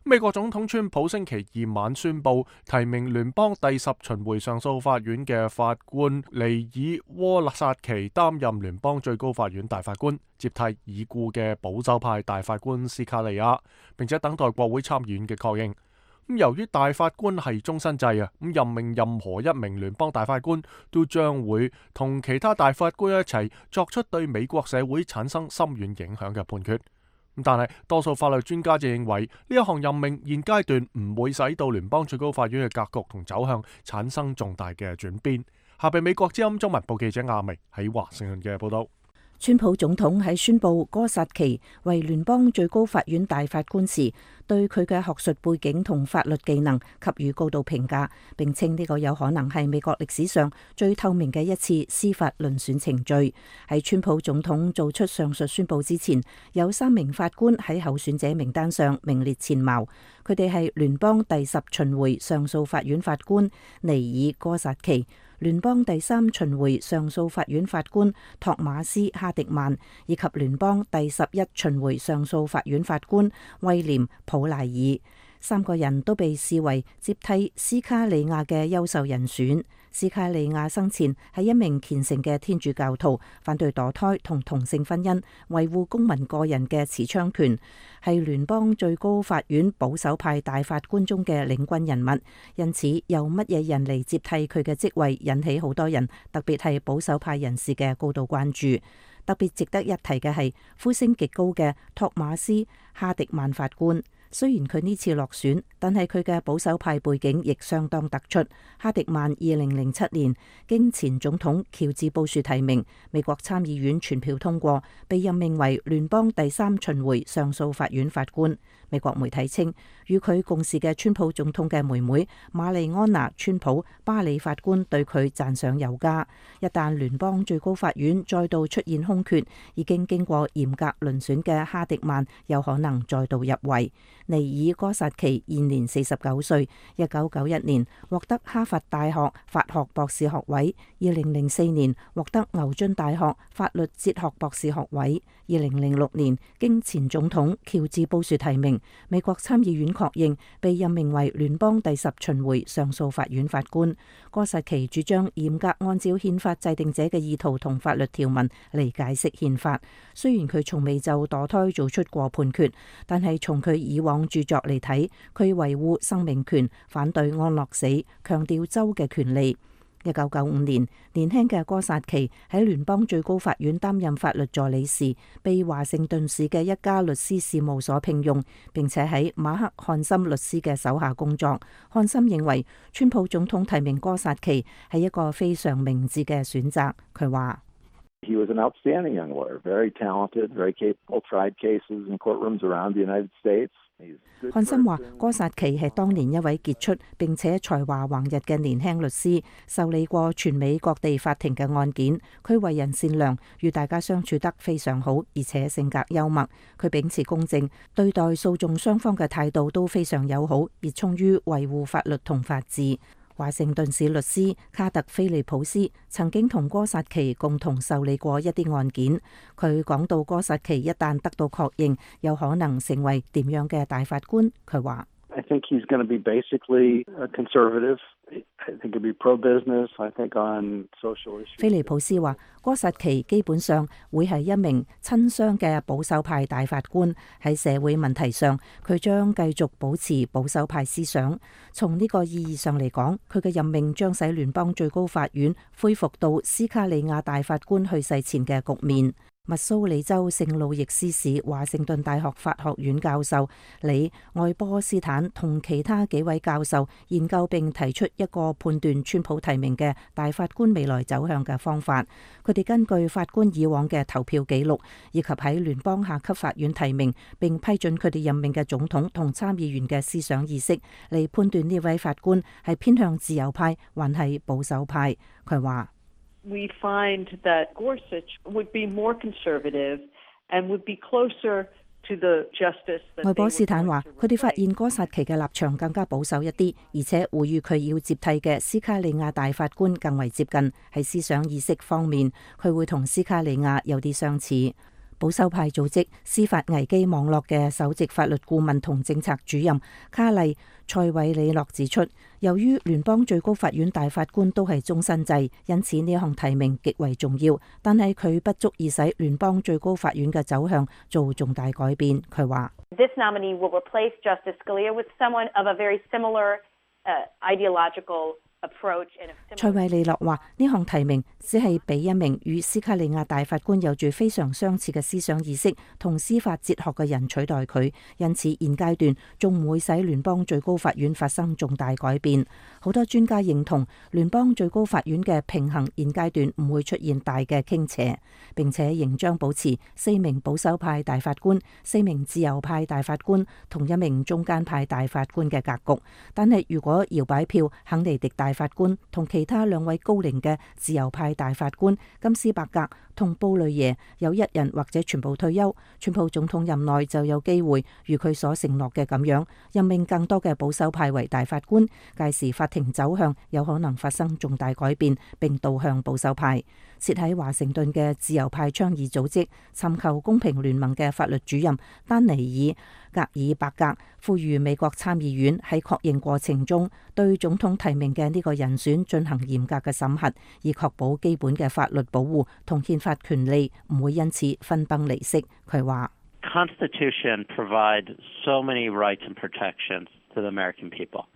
美國總統川普星期二晚宣布提名聯邦第十巡迴上訴法院嘅法官尼爾窩薩奇擔任聯邦最高法院大法官，接替已故嘅保守派大法官斯卡利亞，並且等待國會參議院嘅確認。咁由於大法官係終身制啊，咁任命任何一名聯邦大法官都將會同其他大法官一齊作出對美國社會產生深遠影響嘅判決。咁但係多數法律專家就認為呢一項任命現階段唔會使到聯邦最高法院嘅格局同走向產生重大嘅轉變。下邊美國之音中文部記者亞明喺華盛頓嘅報道。川普總統喺宣布戈薩奇為聯邦最高法院大法官時，對佢嘅學術背景同法律技能給予高度評價，並稱呢個有可能係美國歷史上最透明嘅一次司法遴選程序。喺川普總統做出上述宣布之前，有三名法官喺候選者名單上名列前茅，佢哋係聯邦第十巡迴上訴法院法官尼爾戈薩奇、聯邦第三巡迴上訴法院法官托馬斯哈迪曼，以及聯邦第十一巡迴上訴法院法官威廉普賴爾。三個人都被視為接替斯卡利亞嘅優秀人選。斯卡利亞生前係一名虔誠嘅天主教徒，反對墮胎同同性婚姻，維護公民個人嘅持槍權，係聯邦最高法院保守派大法官中嘅領軍人物。因此，由乜嘢人嚟接替佢嘅職位，引起好多人，特別係保守派人士嘅高度關注。特別值得一提嘅係呼聲極高嘅托馬斯哈迪曼法官。雖然佢呢次落選，但係佢嘅保守派背景亦相當突出。哈迪曼二零零七年經前總統喬治布殊提名，美國參議院全票通過，被任命為聯邦第三巡迴上訴法院法官。美國媒體稱，與佢共事嘅川普總統嘅妹妹瑪麗安娜川普巴里法官對佢讚賞有加。一旦聯邦最高法院再度出現空缺，已經經過嚴格遴選嘅哈迪曼有可能再度入圍。尼爾戈薩奇現年四十九歲，一九九一年獲得哈佛大學法學博士學位，二零零四年獲得牛津大學法律哲學博士學位，二零零六年經前總統喬治布殊提名，美國參議院確認，被任命為聯邦第十巡迴上訴法院法官。戈薩奇主張嚴格按照憲法制定者嘅意圖同法律條文嚟解釋憲法。雖然佢從未就墮胎做出過判決，但係從佢以往著作嚟睇，佢維護生命權，反對安樂死，強調州嘅權利。一九九五年，年輕嘅哥薩奇喺聯邦最高法院擔任法律助理時，被華盛頓市嘅一家律師事務所聘用，並且喺馬克漢森律師嘅手下工作。漢森認為川普總統提名哥薩奇係一個非常明智嘅選擇。佢話He was an outstanding young lawyer, very talented, very capable, tried cases in courtrooms around the United States. 漢森話：哥薩奇係當年一位傑出並且才華橫溢嘅年輕律師，受理過全美各地法庭嘅案件。佢為人善良，與大家相處得非常好，而且性格幽默。佢秉持公正，對待訴訟雙方嘅態度都非常友好，熱衷於維護法律同法治。華盛頓市律師卡特菲利普斯曾經同哥薩奇共同受理過一啲案件。佢講到哥薩奇一旦得到確認，有可能成為點樣嘅大法官。佢話I think he's going to be basically a conservative. I think he'll be pro-business. I think on social issues. 菲利普斯話：哥薩奇基本上會係一名親商嘅保守派大法官。喺社會問題上，佢將繼續保持保守派思想。從呢個意義上嚟講，佢嘅任命將使聯邦最高法院恢復到斯卡利亞大法官去世前嘅局面。密蘇里州聖路易斯市華盛頓大學法學院教授李愛波斯坦同其他幾位教授研究並提出一個判斷川普提名嘅大法官未來走向嘅方法。佢哋根據法官以往嘅投票記錄，以及喺聯邦下級法院提名並批准佢哋任命嘅總統同參議員嘅思想意識，嚟判斷呢位法官係偏向自由派還係保守派。佢話We find that Gorsuch would be more conservative and would be closer to the justice. 愛波斯坦話：佢哋發現哥薩奇嘅立場更加保守一啲，而且會與佢要接替嘅斯卡利亞大法官更為接近。喺思想意識方面，佢會同斯卡利亞有啲相似。保守派組織司法危機網絡嘅首席法律顧問同政策主任卡利塞韋里諾指出，由於聯邦最高法院大法官都係終身制，因此呢項提名極為重要，但係佢不足以使聯邦最高法院嘅走向做重大改變。佢話This nominee will replace Justice Scalia with someone of a very similar uh, ideological塞韋利諾話：呢項提名只係俾一名與斯卡利亞大法官有住非常相似嘅思想意識同司法哲學嘅人取代佢，因此現階段仲唔會使聯邦最高法院發生重大改變。好多專家認同聯邦最高法院嘅平衡現階段唔會出現大嘅傾斜，並且仍將保持四名保守派大法官、四名自由派大法官同一名中間派大法官嘅格局。但係如果搖擺票肯尼迪大法官同其他兩位高齡嘅自由派大法官金斯伯格同布雷耶有一人或者全部退休，川普總統任內就有機會如佢所承諾嘅咁樣任命更多嘅保守派為大法官，屆時法庭走向有可能發生重大改變並導向保守派。設喺華盛頓嘅自由派倡議組織尋求公平聯盟嘅法律主任丹尼爾格爾伯格呼籲美國參議院喺確認過程中對總統提名嘅呢個人選進行嚴格嘅審核，以確保基本嘅法律保護同憲法權利唔會因此分崩離析。佢話 Constitution provide so many rights and protections to the American people.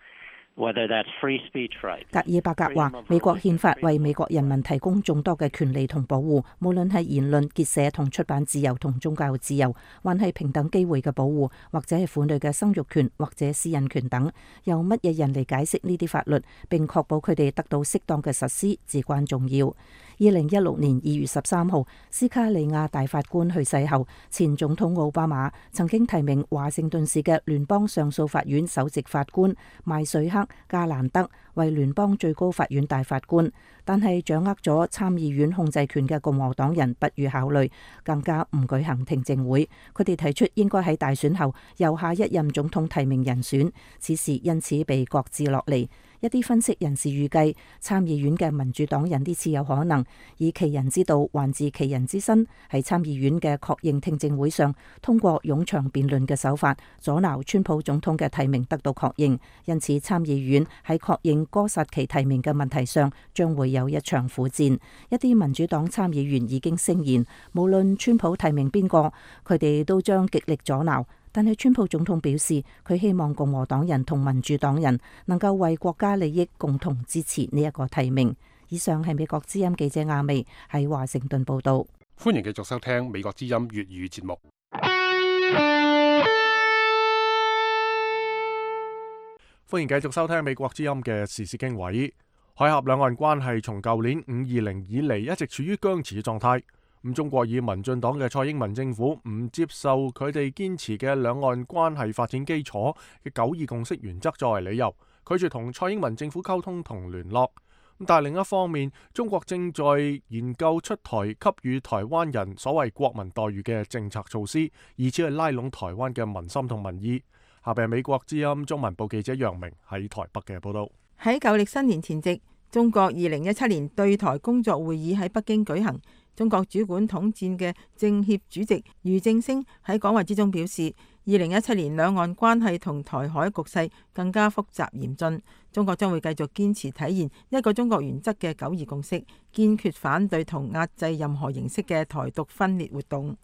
格爾伯格話：美國憲法為美國人民提供眾多嘅權利同保護，無論係言論、結社同出版自由同宗教自由，還係平等機會嘅保護，或者係婦女嘅生育權或者私隱權等。由乜嘢人嚟解釋呢啲法律，並確保佢哋得到適當嘅實施，至關重要。二零一六年二月十三號，斯卡利亞大法官去世後，前總統奧巴馬曾經提名華盛頓市嘅聯邦上訴法院首席法官邁瑞克加蘭德為聯邦最高法院大法官，但係掌握咗參議院控制權嘅共和黨人不予考慮，更加唔舉行聽證會。佢哋提出應該喺大選後由下一任總統提名人選，此事因此被擱置落嚟。一啲分析人士預計，參議院嘅民主黨人呢次有可能以其人之道還治其人之身，喺參議院嘅確認聽證會上，通過冗長辯論嘅手法，阻撓川普總統嘅提名得到確認。因此，參議院喺確認哥薩奇提名嘅問題上，將會有一場苦戰。一啲民主黨參議員已經聲言，無論川普提名邊個，佢哋都將極力阻撓。但係川普總統表示，佢希望共和黨人同民主黨人能夠為國家利益共同支持呢一個提名。以上係美國之音記者亞薇喺華盛頓報道。歡迎繼續收聽美國之音粵語節目。歡迎繼續收聽美國之音嘅時事經緯。海峽兩岸關係從舊年五二零以嚟一直處於僵持嘅狀態。咁中國以民進黨嘅蔡英文政府唔接受佢哋堅持嘅兩岸關係發展基礎嘅九二共識原則作為理由，拒絕同蔡英文政府溝通同聯絡。但係另一方面，中國正在研究出台給予台灣人所謂國民待遇嘅政策措施，以此去拉攏台灣嘅民心同民意。下邊係美國之音中文部記者楊明喺台北嘅報道。喺舊曆新年前夕，中國二零一七年對台工作會議喺北京舉行。中國主管統戰嘅政協主席俞正聲喺講話之中表示，二零一七年兩岸關係同台海局勢更加複雜嚴峻，中國將會繼續堅持體現一個中國原則嘅九二共識，堅決反對同壓制任何形式嘅台獨分裂活動。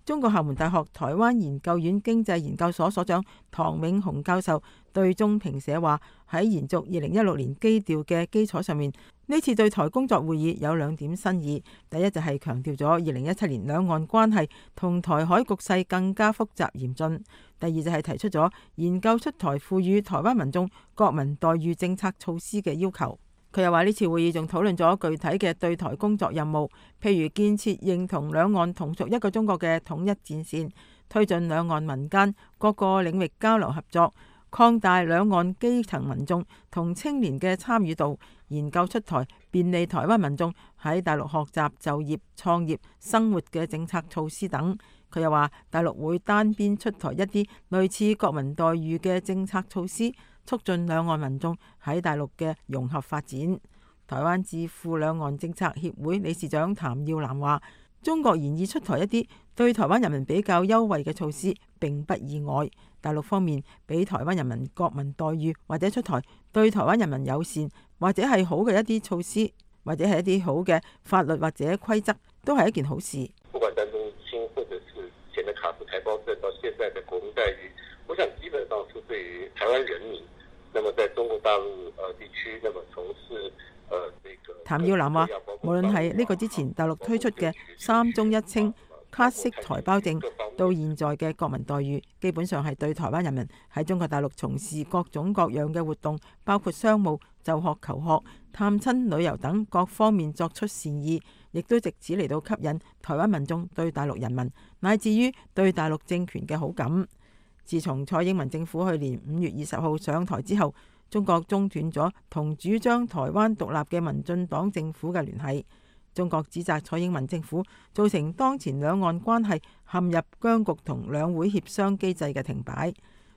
中國廈門大學台灣研究院經濟研究所所長唐永紅教授對中評社話：喺延續二零一六年基調嘅基礎上面，呢次對台工作會議有兩點新意。第一就係強調咗二零一七年兩岸關係同台海局勢更加複雜嚴峻。第二就係提出咗研究出台賦予台灣民眾國民待遇政策措施嘅要求。佢又話呢次會議仲討論咗具體嘅對台工作任務，譬如建設認同兩岸同屬一個中國嘅統一戰線，推進兩岸民間各個領域交流合作，擴大兩岸基層民眾同青年嘅參與度，研究出台便利台灣民眾喺大陸學習、就業、創業、生活嘅政策措施等。佢又話大陸會單邊出台一啲類似國民待遇嘅政策措施，促進兩岸民眾喺大陸嘅融合發展。台灣智庫兩岸政策協會理事長譚耀南話：中國研議出台一啲對台灣人民比較優惠嘅措施並不意外。大陸方面俾台灣人民國民待遇，或者出台對台灣人民友善或者係好嘅一啲措施，或者係一啲好嘅法律或者規則，都係一件好事。不管當中清或者是前的卡布台胞證到現在的國民待遇，我想基本上是對於台灣人民，那麼在中國大陸呃地區，那麼從事呃這個。譚耀南話：無論係呢個之前大陸推出嘅三中一清、卡式台胞證，到現在嘅國民待遇，基本上係對台灣人民喺中國大陸從事各種各樣嘅活動，包括商務、就學、求學、探親、旅遊等各方面作出善意，亦都藉此嚟到吸引台灣民眾對大陸人民乃至於對大陸政權嘅好感。自從蔡英文政府去年五月二十號上台之後，中國中斷咗同主張台灣獨立嘅民進黨政府嘅聯繫。中國指責蔡英文政府造成當前兩岸關係陷入僵局同兩會協商機制嘅停擺。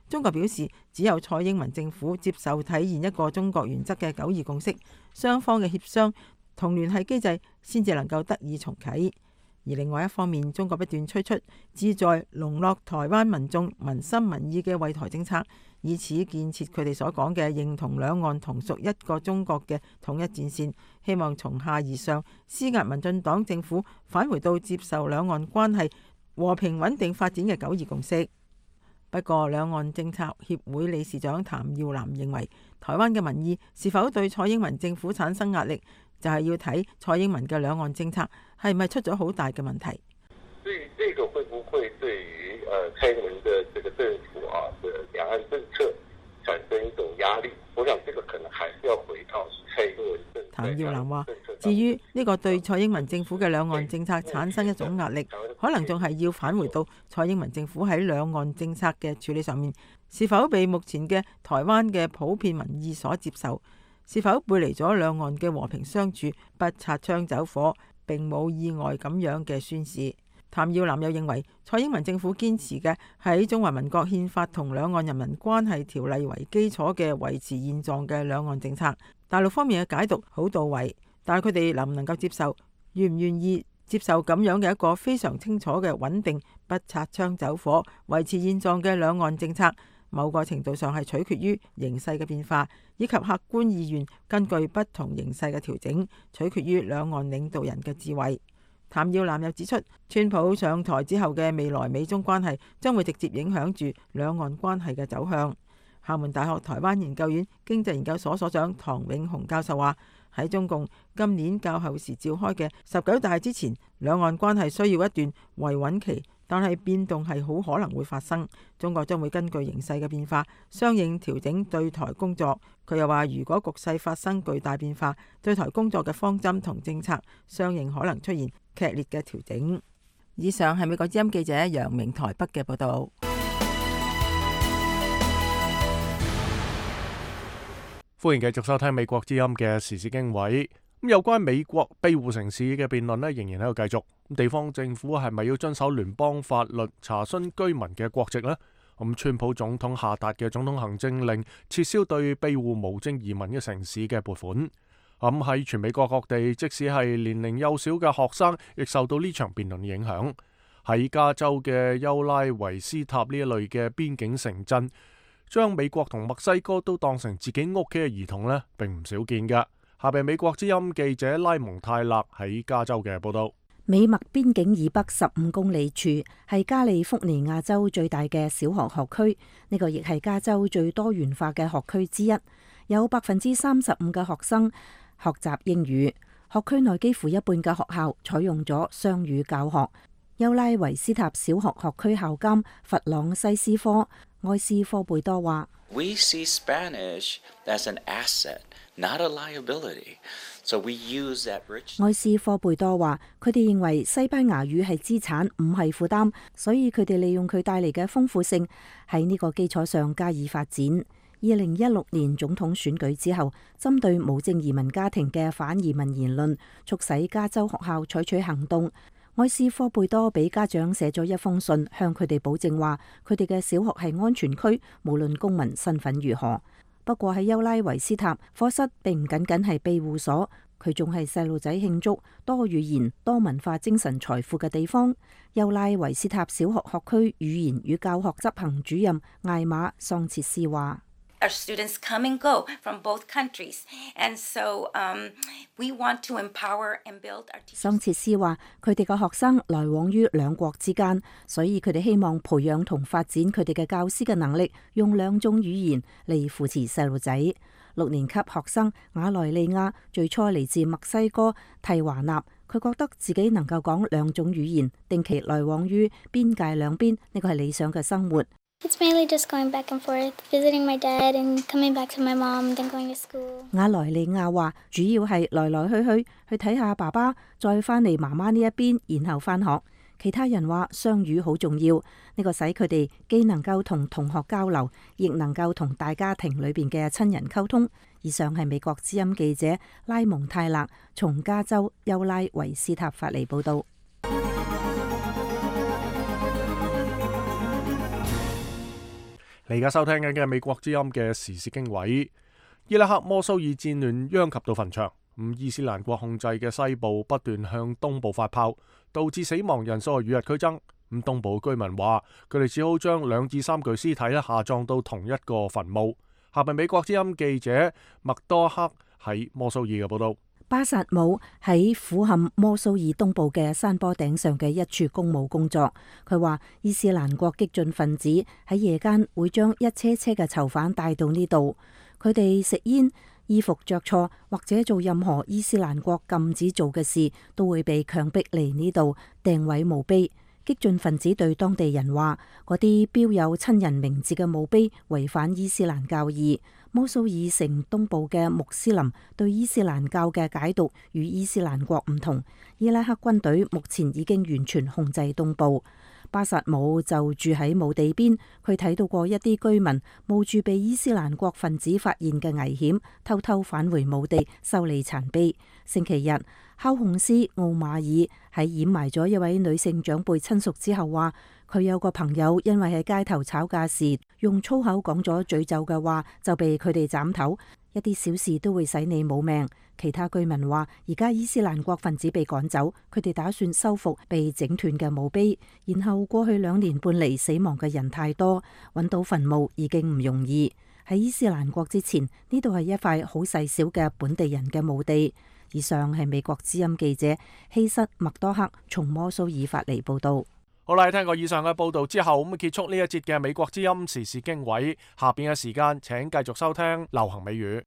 中國表示，只有蔡英文政府接受體現一個中國原則嘅九二共識，雙方嘅協商同聯繫機制先至能夠得以重啟。而另外一方面，中國不斷推出旨在籠絡台灣民眾民心民意嘅惠台政策，以此建設佢哋所講嘅認同兩岸同屬一個中國嘅統一戰線，希望從下而上施壓民進黨政府返回到接受兩岸關係和平穩定發展嘅九二共識。不過，兩岸政策協會理事長譚耀南認為，台灣嘅民意是否對蔡英文政府產生壓力，就係要睇蔡英文嘅兩岸政策係咪出咗好大嘅問題。所以，這個會不會對於呃蔡英文的這個政府啊的兩岸政策產生一種壓力？我想這個可能還是要回到蔡英文政策。譚耀南話：至於呢個對蔡英文政府嘅兩岸政策產生一種壓力，可能仲係要返回到蔡英文政府喺兩岸政策嘅處理上面，是否被目前嘅台灣嘅普遍民意所接受？是否背離咗兩岸嘅和平相處、不擦槍走火、並冇意外咁樣嘅宣示？譚耀南又認為，蔡英文政府堅持嘅喺中華民國憲法同兩岸人民關係條例為基礎嘅維持現狀嘅兩岸政策，大陸方面嘅解讀好到位，但係佢哋能唔能夠接受，願唔願意接受咁樣嘅一個非常清楚嘅穩定、不擦槍走火、維持現狀嘅兩岸政策，某個程度上係取決於形勢嘅變化，以及客觀意願根據不同形勢嘅調整，取決於兩岸領導人嘅智慧。譚耀南又指出，川普上台之後嘅未來美中關係將會直接影響住兩岸關係嘅走向。廈門大學台灣研究院經濟研究所所長唐永紅教授話：喺中共今年較後時召開嘅十九大之前，兩岸關係需要一段維穩期，但係變動係好可能會發生。中國將會根據形勢嘅變化，相應調整對台工作。佢又話，如果局勢發生巨大變化，對台工作嘅方針同政策相應可能出現劇烈嘅調整。以上係美國之音記者楊明台北嘅報道。歡迎繼續收聽美國之音嘅時事經緯。咁有關美國庇護城市嘅辯論呢，仍然喺度繼續。地方政府係咪要遵守聯邦法律查詢居民嘅國籍呢？咁川普總統下達嘅總統行政令撤銷對庇護無證移民嘅城市嘅撥款。咁喺全美國各地，即使係年齡幼小嘅學生，亦受到呢場辯論影響。喺加州嘅優拉維斯塔呢一類嘅邊境城鎮，將美國同墨西哥都當成自己屋企嘅兒童呢，並唔少見㗎。下邊美國之音記者拉蒙泰勒喺加州嘅報道。美墨邊境以北十五公里處係加利福尼亞州最大嘅小學學區，呢個亦係加州最多元化嘅學區之一，有百分之三十五嘅學生學習英語。學區內幾乎一半嘅學校採用咗雙語教學。優拉維斯塔小學學區校監弗朗西斯科埃斯科貝多話：We see Spanish as an asset, not a liability. So we use that rich. 埃斯科貝多話：佢哋認為西班牙語係資產，唔係負擔，所以佢哋利用佢帶嚟嘅豐富性，喺呢個基礎上加以發展。二零一六年總統選舉之後，針對無證移民家庭嘅反移民言論，促使加州學校採取行動。埃斯科貝多俾家長寫咗一封信，向佢哋保證話，佢哋嘅小學係安全區，無論公民身份如何。不過喺優拉維斯塔，課室並唔僅僅係庇護所，佢仲係細路仔慶祝多語言、多文化精神財富嘅地方。優拉維斯塔小學學區語言與教學執行主任艾瑪桑切斯話：Our students come and go from both countries, and so um, we want to empower and build our teachers. 桑切斯話：佢哋嘅學生來往於兩國之間，所以佢哋希望培養同發展佢哋嘅教師嘅能力，用兩種語言嚟扶持細路仔。六年級學生瓦萊利亞最初嚟自墨西哥蒂華納，佢覺得自己能夠講兩種語言，定期來往於邊界兩邊，呢個係理想嘅生活。It's mainly just going back and forth, visiting my dad and coming back to my mom, then going to school. 瓦萊利亞話：主要係來來去去去睇下爸爸，再翻嚟媽媽呢一邊，然後翻學。其他人話雙語好重要，呢個使佢哋既能夠同同學交流，亦能夠同大家庭裏邊嘅親人溝通。以上係美國之音記者拉蒙泰勒從加州優拉維斯塔發嚟報道。你而家收聽緊嘅美國之音嘅時事經緯。伊拉克摩蘇爾戰亂殃及到墳場，咁伊斯蘭國控制嘅西部不斷向東部發炮，導致死亡人數與日俱增。咁東部居民話，佢哋只好將兩至三具屍體咧下葬到同一個墳墓。下邊美國之音記者麥多克喺摩蘇爾嘅報道。巴薩姆喺俯瞰摩蘇爾東部嘅山坡頂上嘅一處公墓工作。佢話伊斯蘭國激進分子喺夜間會將一車車嘅囚犯帶到呢度，佢哋食煙、衣服着錯或者做任何伊斯蘭國禁止做嘅事，都會被強迫嚟呢度掟毀墓碑。激進分子對當地人話，嗰啲標有親人名字嘅墓碑違反伊斯蘭教義。摩蘇爾城東部嘅穆斯林對伊斯蘭教嘅解讀與伊斯蘭國唔同。伊拉克軍隊目前已經完全控制東部。巴薩姆就住喺墓地邊，佢睇到過一啲居民冒住被伊斯蘭國分子發現嘅危險，偷偷返回墓地修理殘碑。星期日，敲控師奧馬爾喺掩埋咗一位女性長輩親屬之後話，佢有個朋友因為喺街頭吵架時用粗口講咗詛咒嘅話，就被佢哋斬頭。一啲小事都會使你冇命。其他居民話，而家伊斯蘭國分子被趕走，佢哋打算修復被整斷嘅墓碑。然後過去兩年半嚟死亡嘅人太多，揾到墳墓已經唔容易。喺伊斯蘭國之前，呢度係一塊好細小嘅本地人嘅墓地。以上係美國之音記者希瑟麥多克從摩蘇爾發嚟報道。好啦，聽過以上嘅報道之後，咁結束呢一節嘅美國之音時事經緯。下邊嘅時間，請繼續收聽流行美語。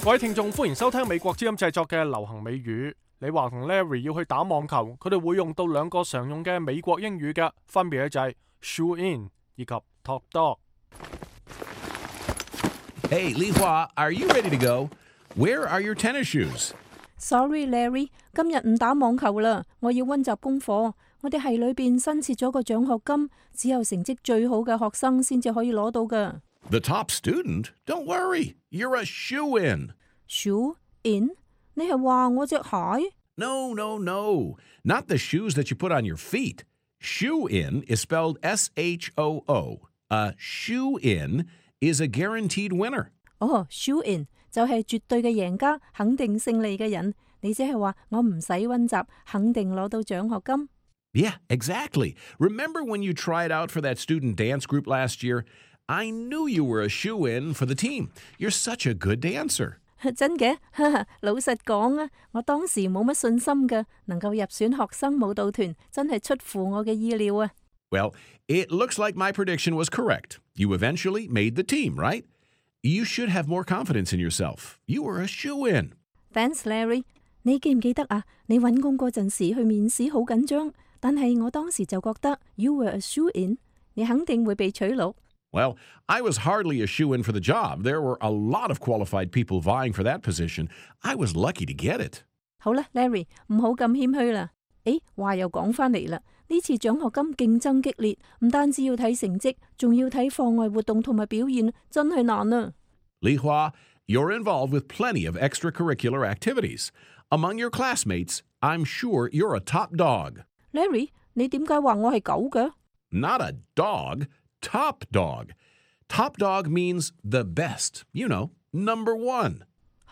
各位聽眾，歡迎收聽美國之音製作嘅流行美語。李華同 Larry 要去打網球，佢哋會用到兩個常用嘅美國英語嘅，分別就係 shoe in 以及 top dog。Hey, Li Hua, are you ready to go? Where are your tennis shoes? Sorry, Larry， 今日唔打網球啦，我要溫習功課。我哋系裏邊新設咗個獎學金，只有成績最好嘅學生先至可以攞到噶。The top student? Don't worry, you're a shoe in. Shoe in？ 你係話我隻鞋 ？No, no, no. Not the shoes that you put on your feet. Shoe in is spelled S H O O. A shoe in is a guaranteed winner. 哦 shoe in 就係絕對嘅贏家，肯定勝利嘅人。你即係話我唔使溫習，肯定攞到獎學金。Yeah, exactly. Remember when you tried out for that student dance group last year? I knew you were a shoe in for the team. You're such a good dancer. 真嘅？老實講啊，我當時冇乜信心㗎，能夠入選學生舞蹈團，真係出乎我嘅意料啊。Well, it looks like my prediction was correct. You eventually made the team, right? You should have more confidence in yourself. You were a shoe in. Thanks, Larry. 你記唔記得啊？你揾工嗰陣時去面試好緊張，但係我當時就覺得 you were a shoe in， 你肯定會被取錄。Well, I was hardly a shoe-in for the job. There were a lot of qualified people vying for that position. I was lucky to get it. 好啦 ，Larry， 唔好咁謙虛啦。誒，話又講返嚟啦，呢次獎學金競爭激烈，唔單止要睇成績，仲要睇課外活動同埋表現，真係難啊。Li Hua, you're involved with plenty of extracurricular activities. Among your classmates, I'm sure you're a top dog. Larry， 你點解話我係狗嘅？ Not a dog. Top dog. Top dog means the best. You know, number one.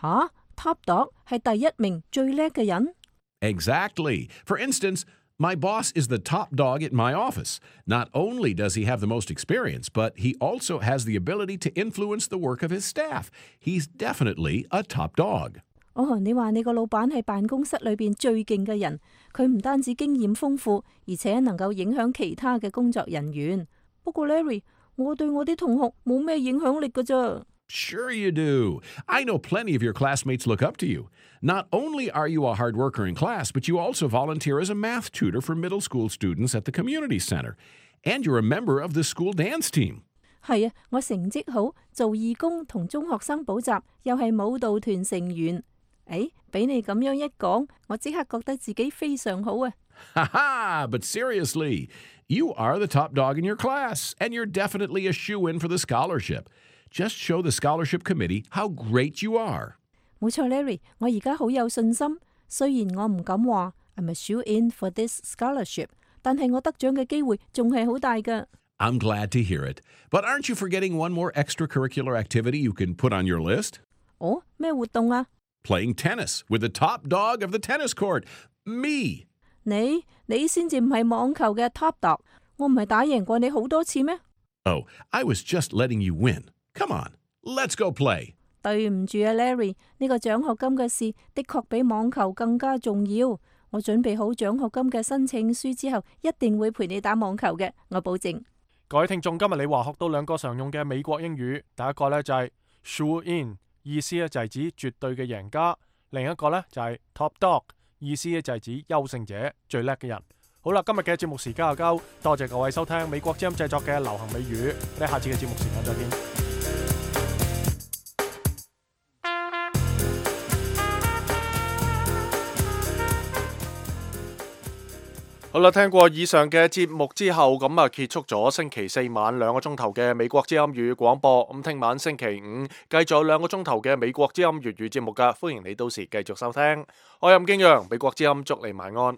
吓 ，Top dog 係第一名最叻嘅人。Exactly. For instance, my boss is the top dog at my office. Not only does he have the most experience, but he also has the ability to influence the work of his staff. He's definitely a top dog. 哦，你話你個老闆係辦公室裏邊最勁嘅人，佢唔單止經驗豐富，而且能夠影響其他嘅工作人員。不過 Larry， 我對我啲同學冇咩影響力㗎咋。Sure you do. I know plenty of your classmates look up to you. Not only are you a hard worker in class, but you also volunteer as a math tutor for middle school students at the community center. And you're a member of the school dance team. 係啊，我成績好，做義工同中學生補習，又係舞蹈團成員。誒，俾你咁樣一講，我即刻覺得自己非常好啊。Ha ha! But seriously, you are the top dog in your class, and you're definitely a shoe-in for the scholarship. Just show the scholarship committee how great you are. 冇錯 ，Larry， 我而家好有信心。雖然我唔敢話 I'm a shoe-in for this scholarship， 但係我得獎嘅機會仲係好大㗎。I'm glad to hear it. But aren't you forgetting one more extracurricular activity you can put on your list? 哦，咩活動啊？ Playing tennis with the top dog of the tennis court, me. 你你先至唔係網球嘅 top dog， 我唔係打贏過你好多次咩？ Oh, I was just letting you win. Come on, let's go play. 對唔住啊 ，Larry， 呢個獎學金嘅事的確比網球更加重要。我準備好獎學金嘅申請書之後，一定會陪你打網球嘅，我保證。各位聽眾，今日你話學到兩個常用嘅美國英語，第一個呢就係 shoe in， 意思呢就係指絕對嘅贏家；另一個呢就係 top dog。意思咧就係指優勝者、最叻嘅人。好啦，今日嘅節目時間就夠，多謝各位收聽美國之音製作嘅流行美語。我哋下次嘅節目時間再見。好啦，聽過以上嘅節目之後，咁啊結束咗星期四晚兩個鐘頭嘅美國之音粵語廣播。咁聽晚星期五繼續有兩個鐘頭嘅美國之音粵語節目噶，歡迎你到時繼續收聽。我係任敬陽，美國之音祝你晚安。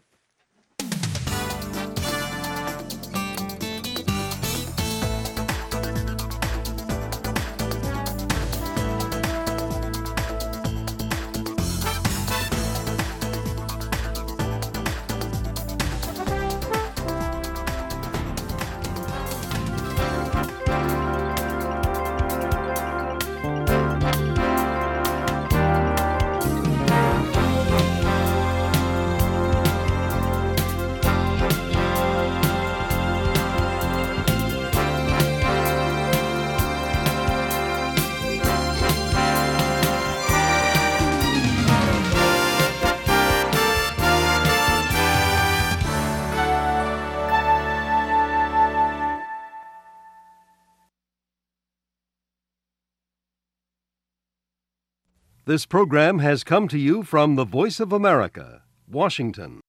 This program has come to you from the Voice of America, Washington.